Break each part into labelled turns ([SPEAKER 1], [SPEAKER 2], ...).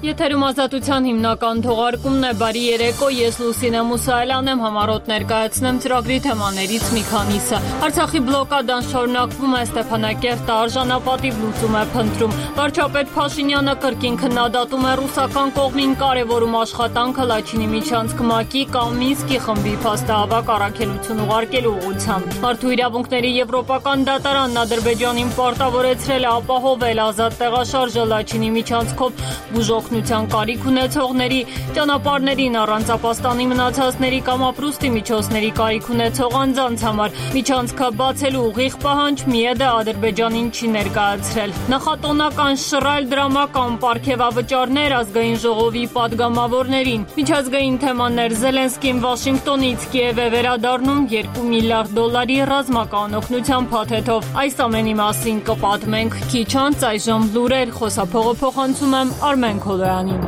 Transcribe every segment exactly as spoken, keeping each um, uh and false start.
[SPEAKER 1] Եթերում ազատության հիմնական թողարկումն է, բարի երեկո, ես Լուսինե Մուսայելյան եմ, համառոտ ներկայացնեմ ծրագրի թեմաներից մի քանիսը։ Արցախի բլոկադան շարունակվում է, Ստեփանակերտը արժանապատիվ լուծում է փնտրում։ Վարչապետ Փաշինյանը կրկին քննադատում է ռուսական կողմին կարևորում աշխատանքը Լաչինի միջանցք ՄԱԿ-ի կամ Մինսկի խմբի փաստահավաք առաքելություն ուղարկելու ուղղությամբ։ Մարդու իրավունքների եվրոպական դատարանն Ադրբեջանին պարտավորեցրել է ապահովել ազատ տեղաշարժը Լաչինի միջանցքով բուժօգնության կարիք ունեցողների, ճանապարհներին առանց ապաստանի մնացածների կամ ապրուստի միջոցների կարիք ունեցող անձանց համար։ Միջանցքը բացելու ուղիղ պահանջ ՄԻԵԴ-ը Ադրբեջանին չի ներկայացրել։ Նախատոնական շռայլ դրամական պարգևավճարներ ազգային ժողովի պատգամավորներին։ Միջազգային թեմաներ Զելենսկին Վաշինգտոնից Կիև է վերադառնում երկու միլիարդ դոլարի ռազմական օգնության փաթեթով։ Այս ամենի մասին կպատմենք քիչ անց, այժմ լուրեր, խոսափողը փոխանցում եմ Արմեն Քոլոյանին։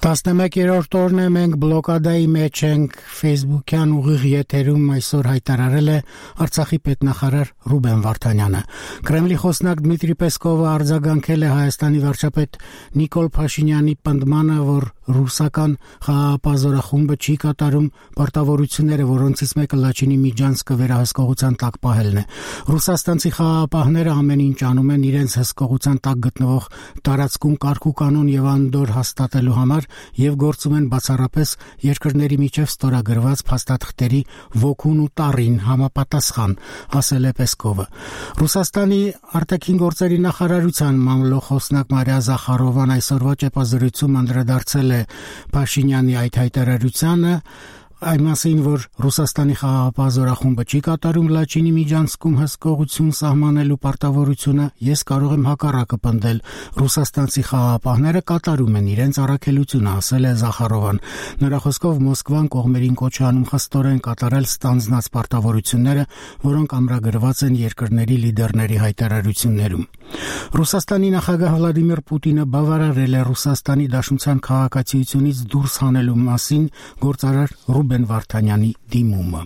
[SPEAKER 2] տասնմեկերորդ օրն է, մենք բլոկադայի մեջ ենք, Facebook-յան ուղիղ եթերում այսօր հայտարարել է Արցախի պետնախարար Ռուբեն Վարդանյանը։ Կրեմլի խոսնակ Դմիտրի Պեսկովը արձագանքել է Հայաստանի վարչապետ Նիկոլ Փաշինյանի պնդմանը, որ ռուսական խաղապազորախումբը չի կատարում պարտավորությունները, որոնցից մեկը Լաչինի միջանցքը վերահսկողության տակ պահելն է։ Ռուսաստանցի խաղապահները ամեն ինչ անում են իրենց հսկողության տակ գտնվող տարածքում կարգ ու կանոն եւ անդոր հաստատելու համար եւ գործում են բացառապես երկրների միջև ստորագրված փաստաթղթերի ոգուն ու տառին համապատասխան, ասել է Պեսկովը։ Ռուսաստանի արտաքին գործերի նախարարության մամլոխոսնակ Մարիա Զախարովան այսօրվա ճեպազրույցում անդրադարձել է Փաշինյանի այդ հայտարարությանը, այն մասին, որ Ռուսաստանի խաղապազորախումբը չի կատարում Լաչինի միջանցքում հսկողություն սահմանելու պարտավորությունը, ես կարող եմ հակառակը պնդել։ Ռուսաստանցի խաղապահները կատարում են իրենց առաքելությունը, ասել է Զախարովան։ Նրա խոսքով Մոսկվան կողմերին կոչ է անում խստորեն կատարել ստանձնած պարտավորությունները, որոնք ամրագրված են երկրների լիդերների հայտարարություններում։ Ռուսաստանի նախագահ Վլադիմիր Պուտինը բավարարել է Ռուսաստանի Դաշնության քաղաքացիությունից դուրս հանելու մասին գործարար Ռուբեն Վարդանյանի դիմումը։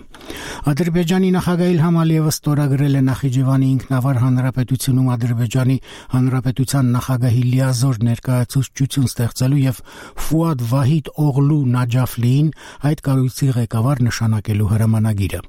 [SPEAKER 2] Ադրբեջանի նախագահ Իլհամ Ալիևը ստորագրել է Նախիջևանի ինքնավար հանրապետությունում Ադրբեջանի հանրապետության նախագահի լիազոր ներկայացուցչություն ստեղծելու եւ Ֆուադ Վահիդ Օղլու Նաջաֆլիին այդ կառույցի ղեկավար նշանակելու հրամանագիրը։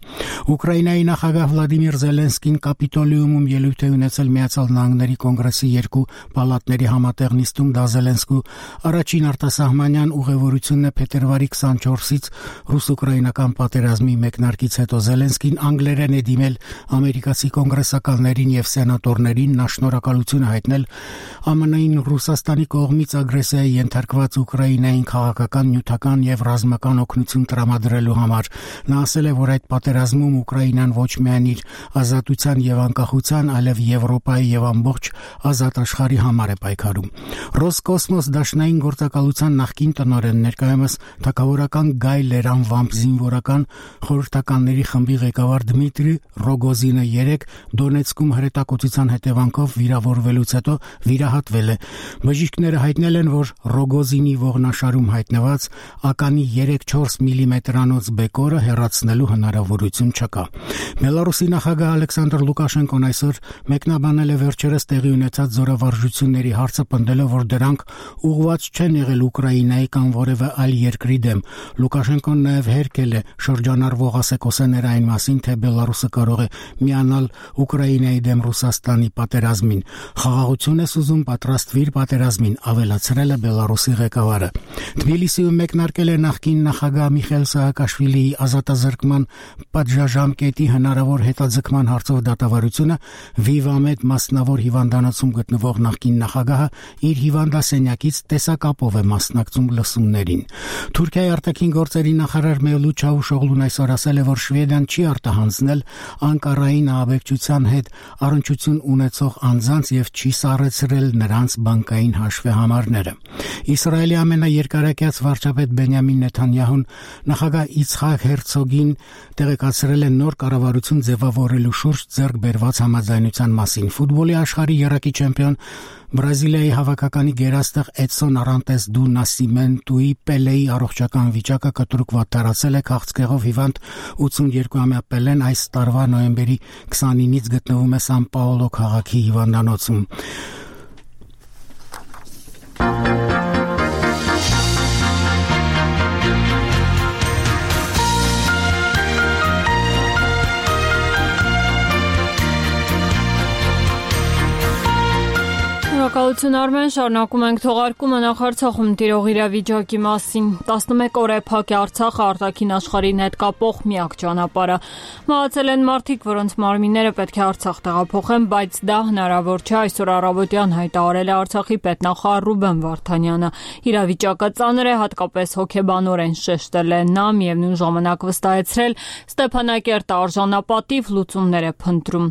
[SPEAKER 2] Ուկրաինայի նախագահ Վլադիմիր Զելենսկին Կապիտոլիումում ելույթ է ունեցել Միացյալ Նահանգների կոնգրեսի երկու պալատների համատեղ նիստում։ Դա Զելենսկու առաջին արտասահմանյան ուղևորությունն է փետրվարի քսանչորսից ռուս-ուկրաինական պատերազմի մեկնարկից հետո։ Զելենսկին անգլերեն է դիմել ամերիկացի կոնգրեսականներին եւ սենատորներին, նա շնորհակալություն է հայտնել ԱՄՆ-ին Ռուսաստանի կողմից ագրեսիայի ենթարկված Ուկրաինային քաղաքական, նյութական եւ ռազմական օգնություն տրամադրելու համար։ Նա ասել է, որ այդ պատերազմում Ուկրաինան ոչ միայն իր ազատության եւ անկախության, այլև Եվրոպայի եւ ամբողջ ազատ աշխարհի համար է պայքարում։ Ռոսկոսմոս դաշնային գործակալության նախկին տնօրեն, ներկայումս թագավորական Գայ Լերանվամփ զինվորական խորհրդականների խմբի ղեկավար Դմիտրի Ռոգոզինը երեկ Դոնեցկում հրետակոծության հետևանքով վիրավորվելուց հետո վիրահատվել է։ Բժիշկները հայտնել են, որ Ռոգոզինի ողնաշարում հայտնված ականի երեք-չորս միլիմետրանոց բեկորը հեռացնելու հնարավորություն չկա։ Բելարուսի նախագահ Ալեքսանդր Լուկաշենկոն այսօր մեկնաբանել է վերջերս տեղի ունեցած զորավարժությունների հարցը, պնդելով, որ դրանք ուղղված չեն եղել Ուկրաինայի կամ որևէ այլ երկրի դեմ։ Լուկաշենկոն նաև հերքել է շրջանառվող ասեկոսեները այն մասին, թե Բելարուսը կարող է միանալ Ուկրաինայի դեմ Ռուսաստանի պատերազմին։ Խաղաղություն է ուզում, պատրաստվիր պատերազմին, ավելացրել է Բելարուսի ղեկավարը։ Թբիլիսիում մեկնարկել է նախկին նախագահ Միխայիլ Սահակաշվիլիի ազատազրկման պատժաժամկետի հնարավոր հետաձգման հարցով դատավարությունը։ Վիվամեդ մասնավոր հիվանդանոցում գտնվող նախկին նախագահը իր հիվանդասենյակից տեսակապով է մասնակցում լսումներին։ Թուրքիայի արտաքին գործերի նախարար Մևլութ Չավուշօղլուն այսօր ասել է, որ Շվեդիան չի արտահանձնել Անկարային ահաբեկչության հետ առնչություն ունեցող անձանց եւ չի սառեցրել նրանց բանկային հաշվեհամարները։ Իսրայելի ամենաերկարակյաց վարչապետ Բենյամին Նեթանյահուն նախագահ Իցխակ Հերցոգին տեղեկացրել է նոր կառավարություն ձևավորելու շուրջ ձեռք բերված համաձայնության մասին։ Ֆուտբոլի աշխարհի եռակի չեմպիոն Բրազիլիայի հավաքականի գերաստղ Էդսոն Արանտես դու Նասիմենտուի Պելեի առողջական վիճակը կտրուկ վատ արդարացել է քաղցկեղով հիվանդ ութսունյոթամյա Պելեն այս տարվա նոյեմբերի քսանինից գտնվում է Սան Պաոլո քաղաքի հիվանդանոցում։
[SPEAKER 1] Շնորհակալություն Արմեն, շարունակում ենք թողարկումը նախարցախում տիրող իրավիճակի մասին։ տասնմեկ օր է փակ է Արցախը արտաքին աշխարհին հետ կապող միակ ճանապարհը։ Մահացել են մարդիկ, որոնց մարմինները պետք է Արցախ տեղափոխեն, բայց դա հնարավոր չէ, այսօր առավոտյան հայտարարել է Արցախի պետնախարար Ռուբեն Վարդանյանը։ Իրավիճակը ծանր է, հատկապես հոգեբանորեն շեշտել է նա, միևնույն ժամանակ վստահեցրել Ստեփանակերտը արժանապատիվ լուծումներ է փնտրում։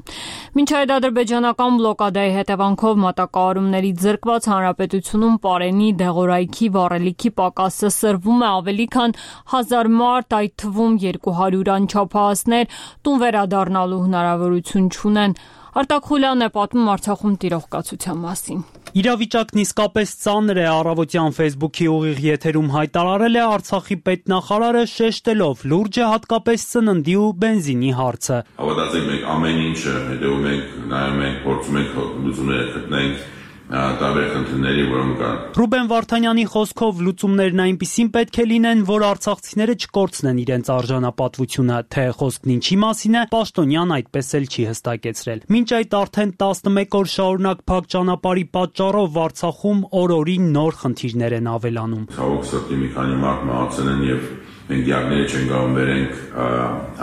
[SPEAKER 1] Մինչ այդ ադրբեջանական բլոկադայի հետևանքով մատակարարումների ձեռքված հանրապետությունում պարենի, դեղորայքի, վառելիքի պակասը սրվում է ավելի քան հազար մարդ, այդ թվում երկու հարյուր անչափահասներ տուն վերադառնալու հնարավորություն չունեն։ Արտակ Խուլյանն է պատմում Արցախում տիրող կացության մասին։
[SPEAKER 3] Իրավիճակն իսկապես ծանր է, առավոտյան Facebook-ի ուղիղ եթերում հայտարարել է Արցախի պետնախարարը, շեշտելով լուրջ է հատկապես սննդի ու բենզինի հարցը։
[SPEAKER 4] Հավատացեք, մենք ամեն ինչը հետևում ենք, նայում ենք, փորձում ենք լուծումներ գտնել տարբեր խնդիրների, որոնք կան։
[SPEAKER 3] Ռուբեն Վարդանյանի խոսքով լուծումներն այնպիսին պետք է լինեն, որ արցախցիները չկորցնեն իրենց արժանապատվությունը, թե խոսքն ինչի մասին է, Պաշտոնյան այդպես էլ չի հստակեցրել։ Մինչ այդ արդեն տասնմեկ օր շարունակ փակ ճանապարհի պատճառով Արցախում օր-օրի նոր խնդիրներ են ավելանում։
[SPEAKER 4] Ցավոք սրտի մի քանի մարդ մահացել են եւ մենք դիագնոզ չենք կարող վերենք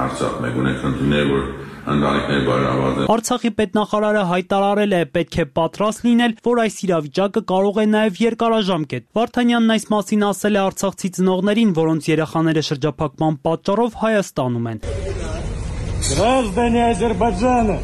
[SPEAKER 4] Արցախ, մենք ունենք խնդիրներ, որ ընտանիքներ բարելաված են։
[SPEAKER 3] Արցախի պետնախարարը հայտարարել է, պետք է պատրաստ լինել, որ այս իրավիճակը կարող է նաև երկարաժամկետ։ Վարդանյանն այս մասին ասել է արցախցի ծնողներին, որոնց երեխաները շրջափակման պատճառով Հայաստանում են։
[SPEAKER 5] Граждане Азербайджана,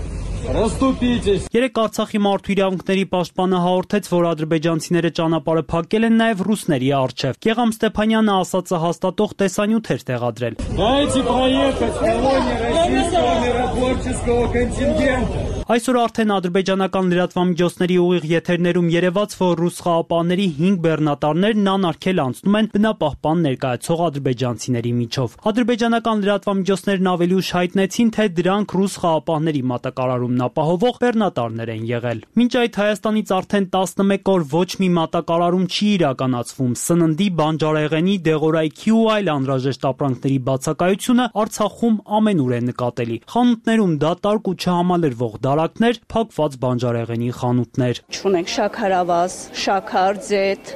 [SPEAKER 5] Ռստուպիչես։
[SPEAKER 3] Երեք Արցախի մարդու իրավունքների պաշտպանը հաղորդեց, որ ադրբեջանցիները ճանապարհը փակել են նաև ռուսների առջև։ Գեգամ Ստեփանյանը ասածը հաստատող տեսանյութ էր տեղադրել։
[SPEAKER 5] Дайте проехать колонии российского миротворческого контингента։
[SPEAKER 3] Այսօր արդեն ադրբեջանական լրատվամիջոցների ուղիղ եթերներում երևաց, որ ռուս խաղապահների հինգ բեռնատարներն անարգել անցնում են բնապահպան ներկայացող ադրբեջանցիների միջով։ Ադրբեջանական լրատվամիջոցներն ավելի ուշ հայտնեցին, թե դրանք ռուս խաղապահների մատակարարումն ապահովող բեռնատարներ են եղել։ Մինչ այդ Հայաստանից արդեն տասնմեկ օր ոչ մի մատակարարում չի իրականացվում։ Սննդի, բանջարեղենի, դեղորայքի ու այլ անհրաժեշտ ապրանքների բացակայությունը Արցախում ամենուր է նկատելի։ Խանութներում դատարկ ու չհամալրվող դարակներ, փակված բանջարեղենի խանութներ։
[SPEAKER 6] Չունենք շաքարավազ, շաքար, ձեթ,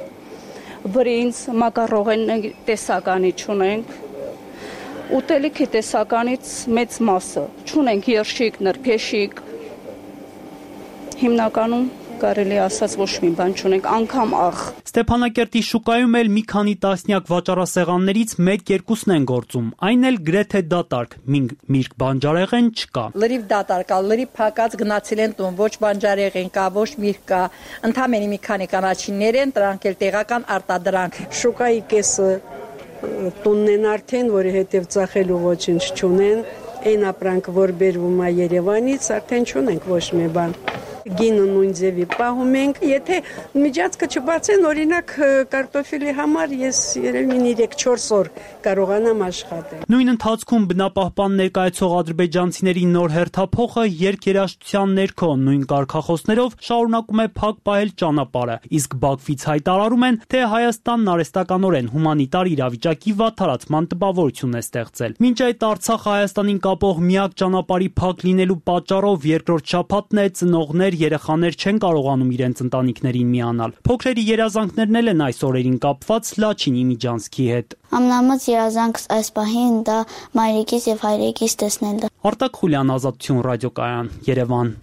[SPEAKER 6] բրինձ, մակարոնի տեսականի չունենք։ Ուտելիքի տեսականից մեծ մասը չունենք երշիկ, նրբեշիկ։ Հիմնականում կարելի ասած ոչ մի բան չունենք, անգամ աղ։
[SPEAKER 3] Ստեփանակերտի շուկայում էլ մի քանի տասնյակ վաճառասեղաններից մեկ-երկուսն են գործում, այն էլ գրեթե դատարկ, միրգ բանջարեղեն չկա։
[SPEAKER 7] Լրիվ դատարկ կա, լրիվ փակած գնացել են տուն, ոչ բանջարեղեն կա, ոչ միրգ կա, ընդամենը մի քանի կանաչիներ են, դրանք էլ տեղական արտադրանք։
[SPEAKER 8] Շուկայի կեսը տունն են արդեն, որի հետև ծախելու ոչինչ չունեն, այն ապրանք, որ բերվում է Երևանից, արդեն չունենք ոչ մի բան։ Գինը նույն ձևի պահում ենք, եթե միջածկը չբացեն, օրինակ կարտոֆիլի համար ես երևին երեք-չորս օր կարողանամ աշխատել։
[SPEAKER 3] Նույն ընթացքում բնապահպան ներկայացող ադրբեջանցիների նոր հերթափոխը երկերաշտության ներքո նույն կարգախոսներով շարունակում է փակ պահել ճանապարհը, իսկ Բաքվից հայտարարում են, թե Հայաստանն արհեստականորեն հումանիտար իրավիճակի վատթարացման տպավորություն է ստեղծել։ Մինչ այդ Արցախը Հայաստանին կապող միակ ճանապարհի փակ լինելու պատճառով երկրորդ շաբաթն է ծնողներ երեխաներ չեն կարողանում իրենց ընտանիքներին միանալ։ Փոքրերի երազանքներն էլ են այս օրերին կապված Լաչինի միջանցքի հետ։
[SPEAKER 9] Ամենամեծ երազանքս այս պահին դա մայրիկիս եւ հայրիկիս տեսնելն է։
[SPEAKER 3] Արտակ Խուլյան, Ազատություն ռադիոկայան, Երևան։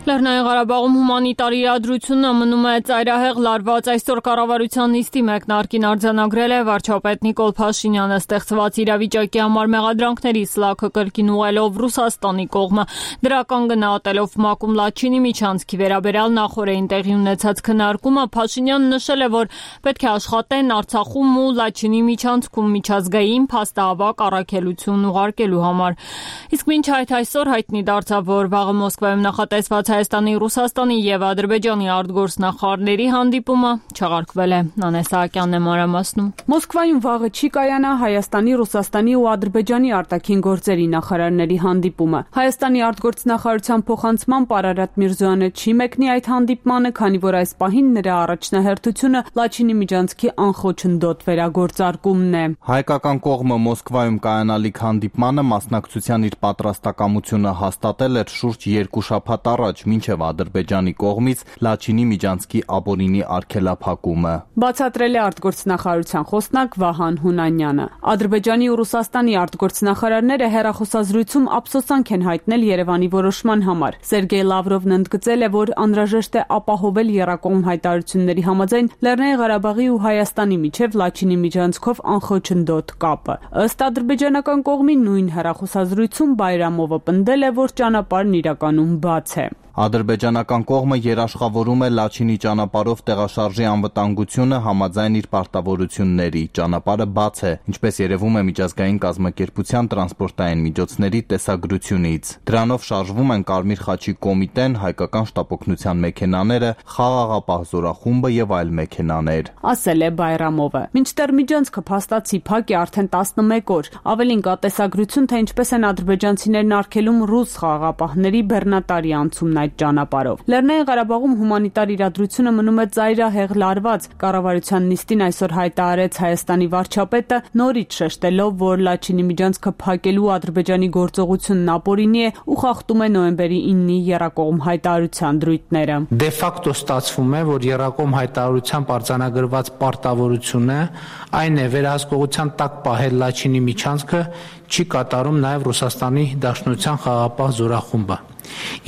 [SPEAKER 1] Լեռնային Ղարաբաղում հումանիտար իրադրությունը մնում է ծայրահեղ լարված։ Այսօր կառավարության նիստի մեկնարկին արձանագրել է վարչապետ Նիկոլ Փաշինյանը ստեղծված իրավիճակի համար մեղադրանքների սլաքը կրկին ուղղելով Ռուսաստանի կողմը։ Դրական գնահատելով Մակում Լաչինի միջանցքի վերաբերյալ նախորդին տեղի ունեցած քննարկումը, Փաշինյանն նշել է, որ պետք է աշխատեն Արցախում ու Լաչինի միջանցքում միջազգային փաստահավաք առաքելություն ուղարկելու համար։ Իսկ մինչ այդ այսօր հայտնի դարձավ, որ վաղը Մոսկվայում նախատեսված Հայաստանի, Ռուսաստանի եւ Ադրբեջանի արտգործնախարարների հանդիպումը չեղարկվել է։ Նանե Սահակյանն է մանրամասնում։
[SPEAKER 10] Մոսկվայում վաղը չի կայանա Հայաստանի, Ռուսաստանի ու Ադրբեջանի արտաքին գործերի նախարարների հանդիպումը։ Հայաստանի արտգործնախարարության փոխանցմամբ Արարատ Միրզոյանը չի մեկնի այդ հանդիպմանը, քանի որ այս պահին նրա առաջնահերթությունը Լաչինի միջանցքի անխոչնդոտ վերագործարկումն է։
[SPEAKER 11] Հայկական կողմը Մոսկվայում կայանալիք հանդիպմանը մասնակցության իր պատրաստակամությունը հաստատել էր շուրջ երկու շաբաթ առաջ, մինչև Ադրբեջանի կողմից Լաչինի միջանցքի ապօրինի արգելափակումը։
[SPEAKER 10] Բացատրել է արտգործնախարարության խոսնակ Վահան Հունանյանը։ Ադրբեջանի ու Ռուսաստանի արտգործնախարարները հեռախոսազրույցում ափսոսանք են հայտնել Երևանի որոշման համար։ Սերգեյ Լավրովն ընդգծել է, որ անհրաժեշտ է ապահովել եռակողմ հայտարարությունների համաձայն Լեռնային Ղարաբաղի ու Հայաստանի միջև Լաչինի միջանցքով անխոչնդոտ կապը։ Ըստ ադրբեջանական կողմի նույն հեռախոսազրույցում Բայրամովը պնդել է, որ ճանապարհն իրականում բաց է։
[SPEAKER 11] Ադրբեջանական կողմը երաշխավորում է Լաչինի ճանապարհով տեղաշարժի անվտանգությունը համաձայն իր պարտավորությունների։ Ճանապարհը բաց է, ինչպես երևում է միջազգային կազմակերպության տրանսպորտային միջոցների տեսագրությունից։ Դրանով շարժվում են Կարմիր խաչի կոմիտեն, հայկական շտապօգնության մեքենաները, Խաղաղապահ զորախումբը եւ այլ մեքենաներ։
[SPEAKER 10] Ասել է Բայրամովը։ Մինչդեռ միջանցքը փաստացի փակ է արդեն տասնմեկ օր։ Ավելին կա տեսագրություն, թե ինչպես են ադրբեջանցիներն արգելում ռուս խաղաղապահների բեռնատարի անցումն այդ ճանապարհով։ Լեռնային Ղարաբաղում հումանիտար իրադրությունը մնում է ծայրահեղ լարված։ Կառավարության նիստին այսօր հայտարարեց Հայաստանի վարչապետը, նորից շեշտելով, որ Լաչինի միջանցքը փակելու Ադրբեջանի գործողությունն ապօրինի է ու խախտում է նոյեմբերի իննի եռակողմ հայտարարության դրույթները։
[SPEAKER 12] Դե ֆակտո ստացվում է, որ եռակողմ հայտարարությամբ արձանագրված պարտավորությունը այն է վերահսկողության տակ պահել Լաչինի միջանցքը չի կատարում նաև Ռուսաստանի Դաշնության խաղաղապահ զորախումբը։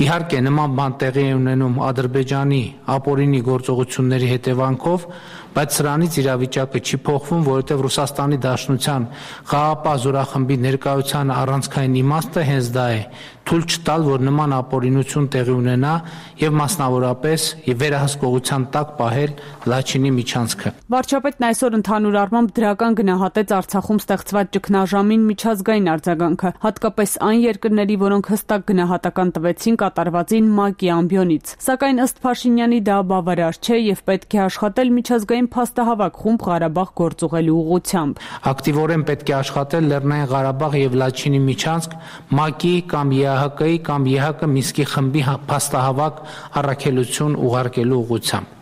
[SPEAKER 12] Իհարկե նման բան տեղի է ունենում Ադրբեջանի ապօրինի գործողությունների հետևանքով, բայց սրանից իրավիճակը չի փոխվում, որովհետև Ռուսաստանի Դաշնության խաղաղապահ զորախմբի ներկայության առանցքային իմաստը հենց դա է՝ թույլ չտալ, որ նման ապօրինություն տեղի ունենա եւ մասնավորապես եւ վերահսկողության տակ պահել Լաչինի միջանցքը։
[SPEAKER 10] Վարչապետն այսօր ընդհանուր առմամբ դրական գնահատեց Արցախում ստեղծված ճգնաժամին միջազգային արձագանքը, հատկապես այն երկրների, որոնք հստակ գնահատական տվեցին կատարվածին ՄԱԿ-ի ամբիոնից։ Սակայն ըստ Փաշինյանի դա բավարար չէ եւ պետք է աշխատել միջազգային փաստահավաք խումբ Ղարաբաղ գործուղելու ուղղությամբ։
[SPEAKER 12] Ակտիվորեն պետք է աշխատել Լեռնային Ղարաբաղ եւ Լաչինի միջանցք ՄԱԿ-ի կամ Է Ահ Կ-ի կամ Է Հ Կ Մինսկի խմբի փաստահավաք առաքելություն ուղարկելու ուղղությամբ։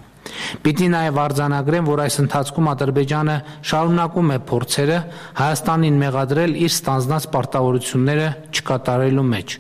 [SPEAKER 12] Պիտի նաև արձանագրեմ, որ այս ընթացքում Ադրբեջանը շարունակում է փորձերը Հայաստանին մեղադրել իր ստանձնած պարտավորությունները չկատարելու մեջ։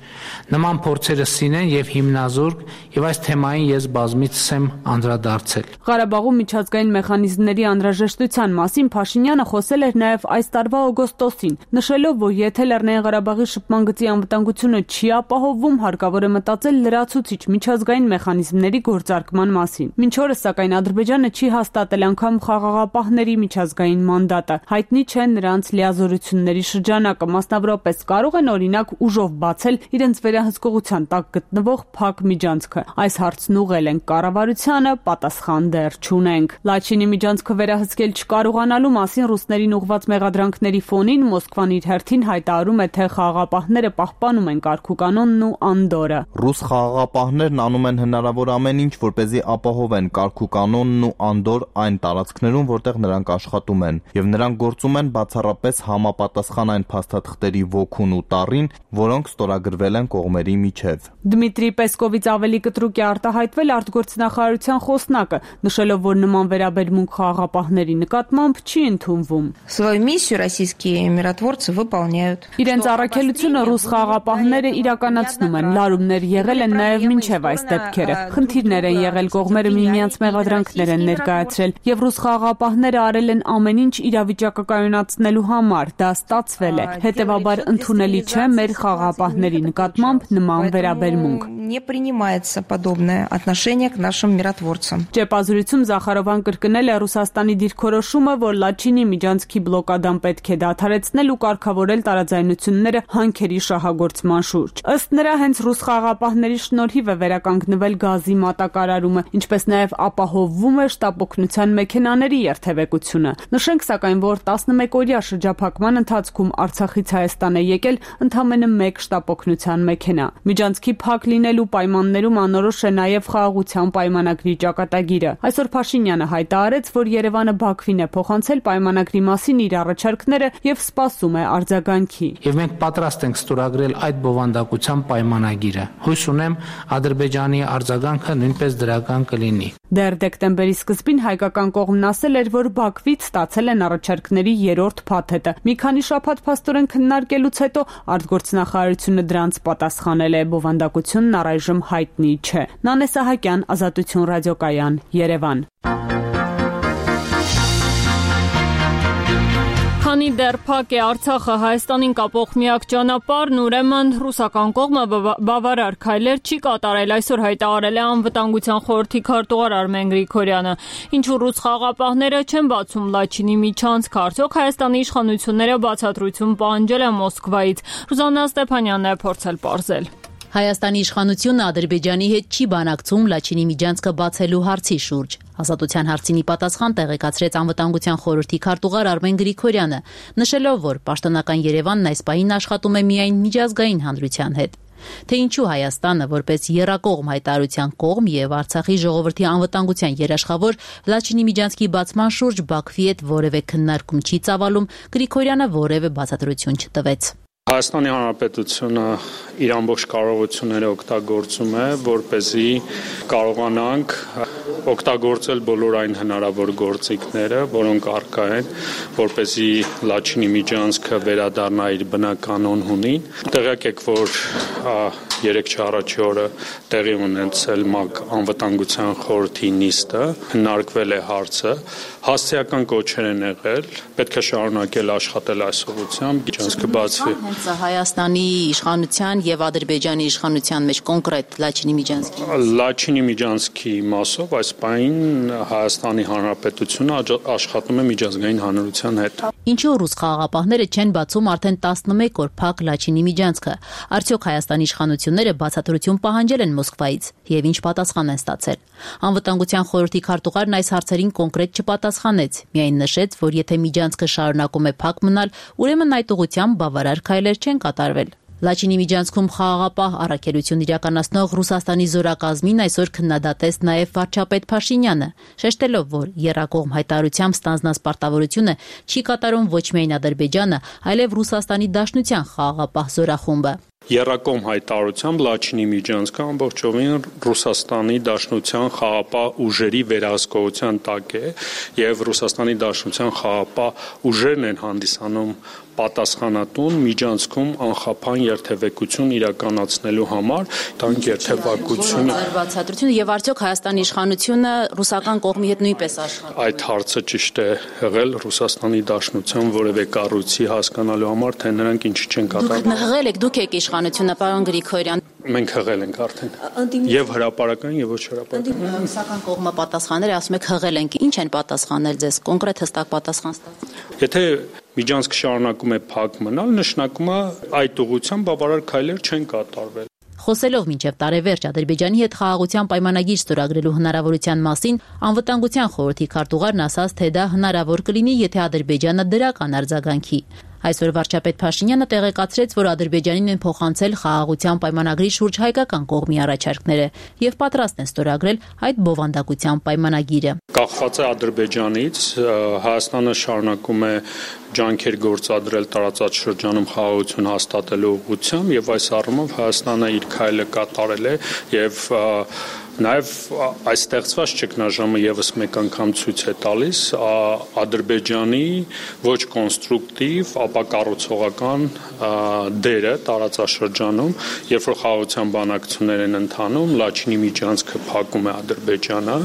[SPEAKER 12] Նման փորձերը սին են եւ հիմնազուրկ, եւ այս թեմային ես բազմիցս եմ անդրադարձել։
[SPEAKER 10] Ղարաբաղում միջազգային մեխանիզմների անհրաժեշտության մասին Փաշինյանը խոսել էր նաև այս տարվա օգոստոսին, նշելով, որ եթե Լեռնային Ղարաբաղի շփման գծի անվտանգությունը չի ապահովվում, հարկավոր է մտածել լրացուցիչ միջազգային մեխանիզմների գործարկման մասին։ Մինչ օրս սակայն Ադրբեջանը չի հաստատել անգամ խաղաղապահների միջազգային մանդատը։ Հայտնի չէ նրանց լիազորությունների շրջանակը, մասնավորապես կարող են օրինակ ուժով բացել իրենց վերահսկողության տակ գտնվող փակ միջանցքը։ Այս հարցն ուղղել ենք կառավարությանը, պատասխան դեռ չունենք։ Լաչինի միջանցքը վերահսկել չկարողանալու մասին ռուսներին ուղղված մեղադրանքների ֆոնին Մոսկվան իր հերթին հայտարարում է, թե խաղաղապահները պահպանում են կարգուկանոնն ու անդորը։
[SPEAKER 11] Ռուս խաղաղապահներն անում են հնարավոր ամեն ինչ, որպեսզի ապահովեն կարգուկանոնն ու անդոր այն տարածքներում, որտեղ նրանք աշխատում են, եւ նրանք գործում են բացառապես համապատասխան այն փաստաթղթերի ոգուն ու տառին, որոնք ստորագրվել են կողմերի միջև։
[SPEAKER 10] Դմիտրի Պեսկովից ավելի կտրուկ է արտահայտվել արտգործնախարարության խոսնակը, նշելով, որ նման վերաբերմունք խաղաղապահների նկատմամբ չի ընդունվում։
[SPEAKER 13] Свою миссию российские миротворцы выполняют.
[SPEAKER 10] Իրենց առաքելությունը ռուս խաղաղապահները իրականացնում են։ Լարումներ եղել են նաև մինչև այս դեպքերը։ Խնդիրներ են եղել, կողմերը միմյանց մեղադրանքներ են ներկայացրել, եւ ռուս խաղաղապահները արել են ամեն ինչ իրավիճակը կայունացնելու համար։ Դա ստացվել է։ Հետևաբար ընդունելի չէ մեր խաղաղապահների նկատմամբ նման վերաբերմունք։
[SPEAKER 13] Не принимается подобное отношение к нашим миротворцам.
[SPEAKER 10] Ճեպազրույցում Զախարովան կրկնել է Ռուսաստանի դիրքորոշումը, որ Լաչինի միջանցքի բլոկադան պետք է դադարեցնել ու կարգավորել տարաձայնությունները հանքերի շահագործման շուրջ։ Ըստ նրա, հենց ռուս խաղաղապահների շնորհիվ է վերականգնվել գազի մատակարարումը, ինչպես նաև ապահովվում է շտապօգնության մեքենաների երթևեկությունը։ Նշենք սակայն, որ տասնմեկօրյա շրջափակման ընթացքում Արցախից Հայաստան է եկել ընդամենը մեկ շտապօգնության մեքենա։ Միջանցքի փակ լինելու պայմաններում անորոշ է նաև խաղաղության պայմանագրի ճակատագիրը։ Այսօր Փաշինյանը հայտարարեց, որ Երևանը Բաքվին է փոխանցել պայմանագրի մասին իր առաջարկները եւ սպասում է արձագանքի։
[SPEAKER 12] Եվ մենք պատրաստ ենք ստորագրել այդ բովանդակության պայմանագիրը։ Հույս ունեմ Ադրբեջանի արձագանքը նույնպես դրական կլինի։
[SPEAKER 10] Դեռ դեկտեմբերի սկզբին հայկական կողմն ասել էր, որ Բաքվից ստացել են առաջարկների երրորդ փաթեթը։ Մի քանի շաբաթ փաստորեն քննարկելուց հետո արտգործնախարարությունը դրանց պատասխանել է։ Բովանդակությունն առայժմ հայտնի չէ։ Նանե Սահակյան, Ազատություն ռադիոկայան, Երևան։
[SPEAKER 1] Քանի դեռ փակ է Արցախը Հայաստանին կապող միակ ճանապարհն, ուրեմն ռուսական կողմը բավարար քայլեր չի կատարել, այսօր հայտարարել է Անվտանգության խորհրդի քարտուղար Արմեն Գրիգորյանը։ Ինչու ռուս խաղաղապահները չեն բացում Լաչինի միջանցք, արդյոք Հայաստանի իշխանությունները բացատրություն պահանջել են Մոսկվայից։ Ռուզաննա Ստեփանյանն է փորձել պարզել։
[SPEAKER 14] Հայաստանի իշխանությունը Ադրբեջանի հետ չի բանակցում Լաչինի միջանցքը բացելու հարցի շուրջ։ Ազատության հարցինի պատասխան տեղեկացրեց Անվտանգության խորհրդի քարտուղար Արմեն Գրիգորյանը, նշելով, որ պաշտոնական Երևանն այս պահին աշխատում է միայն միջազգային հանրության հետ։ Թե ինչու Հայաստանը որպես եռակողմ հայտարարության կողմ եւ Արցախի ժողովրդի անվտանգության երաշխավոր Լաչինի միջանցքի բացման շուրջ Բաքվի հետ որևէ քննարկում չի ծավալում, Գրիգորյանը որևէ բացատրություն չտվեց։
[SPEAKER 15] Հայաստանի Հանրապետությունը իր ամբողջ կարողությունները օգտագործում է, որպեսզի կարողանանք օգտագործել բոլոր այն հնարավոր գործիքները, որոնք առկա են, որպեսզի Լաչինի միջանցքը վերադառնա իր բնականոն հունին։ Տեղյակ եք, որ երեք չառաջի օրը տեղի ունեցել ՄԱԿ անվտանգության խորհրդի նիստը, քննարկվել է հարցը, հասցեական կոչեր են եղել, պետք է շարունակել աշխատել այս ուղղությամբ, միջանցքը բացվի։
[SPEAKER 14] Հենց Հայաստանի իշխանության եւ Ադրբեջանի իշխանության մեջ կոնկրետ Լաչինի միջանցքի
[SPEAKER 15] Լաչինի միջանցքի մասով այս պահին Հայաստանի Հանրապետությունը աշխատում է միջազգային հանրության հետ։
[SPEAKER 14] Ինչու ռուս խաղաղապահները չեն բացում արդեն տասնմեկ օր փակ Լաչինի միջանցքը։ Արդյոք Հայաստանի իշխանությունները բացատրություն պահանջել են Մոսկվայից եւ ինչ պատասխան են ստացել։ Անվտանգության խորհրդի քարտուղարն այս հարցերին կոնկրետ չպատասխանեց, միայն նշեց, որ եթե միջանցքը շարունակում է փակ մնալ, ուրեմն այդ ուղղությամբ բավարար քայլեր չեն կատարվել։ Լաչինի միջանցքում խաղաղապահ առաքելություն իրականացնող Ռուսաստանի զորակազմին այսօր քննադատեց նաև վարչապետ Փաշինյանը, շեշտելով, որ եռակողմ հայտարարությամբ ստանձնած պարտավորությունը չի կատարում ոչ միայն Ադրբեջանը, այլև Ռուսաստանի Դաշնության խաղաղապահ զորախումբը։
[SPEAKER 15] Եռակողմ հայտարարությամբ Լաչինի միջանցքը ամբողջովին Ռուսաստանի Դաշնության խաղաղապահ ուժերի վերահսկողության տակ է եւ Ռուսաստանի Դաշնության խաղաղապահ ուժերն են հանդիսանում պատասխանատուն միջանցքում անխափան երթևեկություն իրականացնելու համար, տանկ երթևակությունը։
[SPEAKER 14] Բացատրությունը եւ արդյոք Հայաստանի իշխանությունը ռուսական կողմի հետ նույնպես աշխատում։
[SPEAKER 15] Այդ հարցը ճիշտ է եղել Ռուսաստանի Դաշնության որևէ կառույցի հասկանալու համար, թե նրանք ինչ չեն կատարում։
[SPEAKER 14] Դուք հղել եք, դուք եք իշխանությունը, պարոն Գրիգորյան։
[SPEAKER 15] Մենք հղել ենք արդեն։ Եվ հրապարական եւ ոչ հրապարական։
[SPEAKER 14] Ռուսական կողմը պատասխանել է, ասում եք հղել ենք։ Ինչ են պատասխանել ձեզ, կոնկրետ հստակ պատասխան ստացել։
[SPEAKER 15] Եթե միջանցքը շարունակում է փակ մնալ, նշանակում է այդ ուղղությամբ բավարար քայլեր չեն կատարվել։
[SPEAKER 14] Խոսելով մինչև տարեվերջ Ադրբեջանի հետ խաղաղության պայմանագիր ստորագրելու հնարավորության մասին, Անվտանգության խորհրդի քարտուղարն ասաց, թե դա հնարավոր կլինի, եթե Ադրբեջանը դրական արձագանքի։ Այսօր վարչապետ Փաշինյանը տեղեկացրեց, որ Ադրբեջանին են փոխանցել խաղաղության պայմանագրի շուրջ հայկական կողմի առաջարկները եւ պատրաստ են ստորագրել այդ բովանդակության պայմանագիրը։
[SPEAKER 15] Կախված է Ադրբեջանից, Հայաստանը շարունակում է ջանքեր գործադրել տարածաշրջանում խաղաղություն հաստատելու ուղղությամբ եւ այս առումով Հայաստանը իր քայլը կատարել է եւ Նաև այս ստեղծված ճգնաժամը եւս մեկ անգամ ցույց է տալիս Ադրբեջանի ոչ կոնստրուկտիվ, ապա կառուցողական դերը տարածաշրջանում, երբ որ խաղաղության բանակցություններ են ընթանում, Լաչինի միջանցքը փակում է Ադրբեջանը,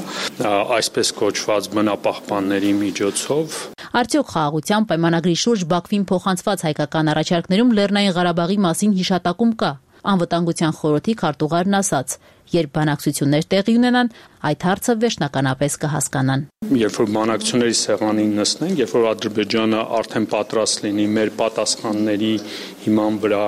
[SPEAKER 15] այսպես կոչված բնապահպանների միջոցով։
[SPEAKER 14] Արդյոք խաղաղության պայմանագրի շուրջ Բաքվին փոխանցված հայկական առաջարկներում Լեռնային Ղարաբաղի մասին հիշատակում կա։ Անվտանգության խորհրդի քարտուղարն ասաց, երբ բանակցություններ տեղի ունենան, այդ հարցը վերջնականապես կհասկանան։
[SPEAKER 15] Երբ որ բանակցությունների սեղանին նստենք, երբ որ Ադրբեջանը արդեն պատրաստ լինի մեր պատասխանների հիման վրա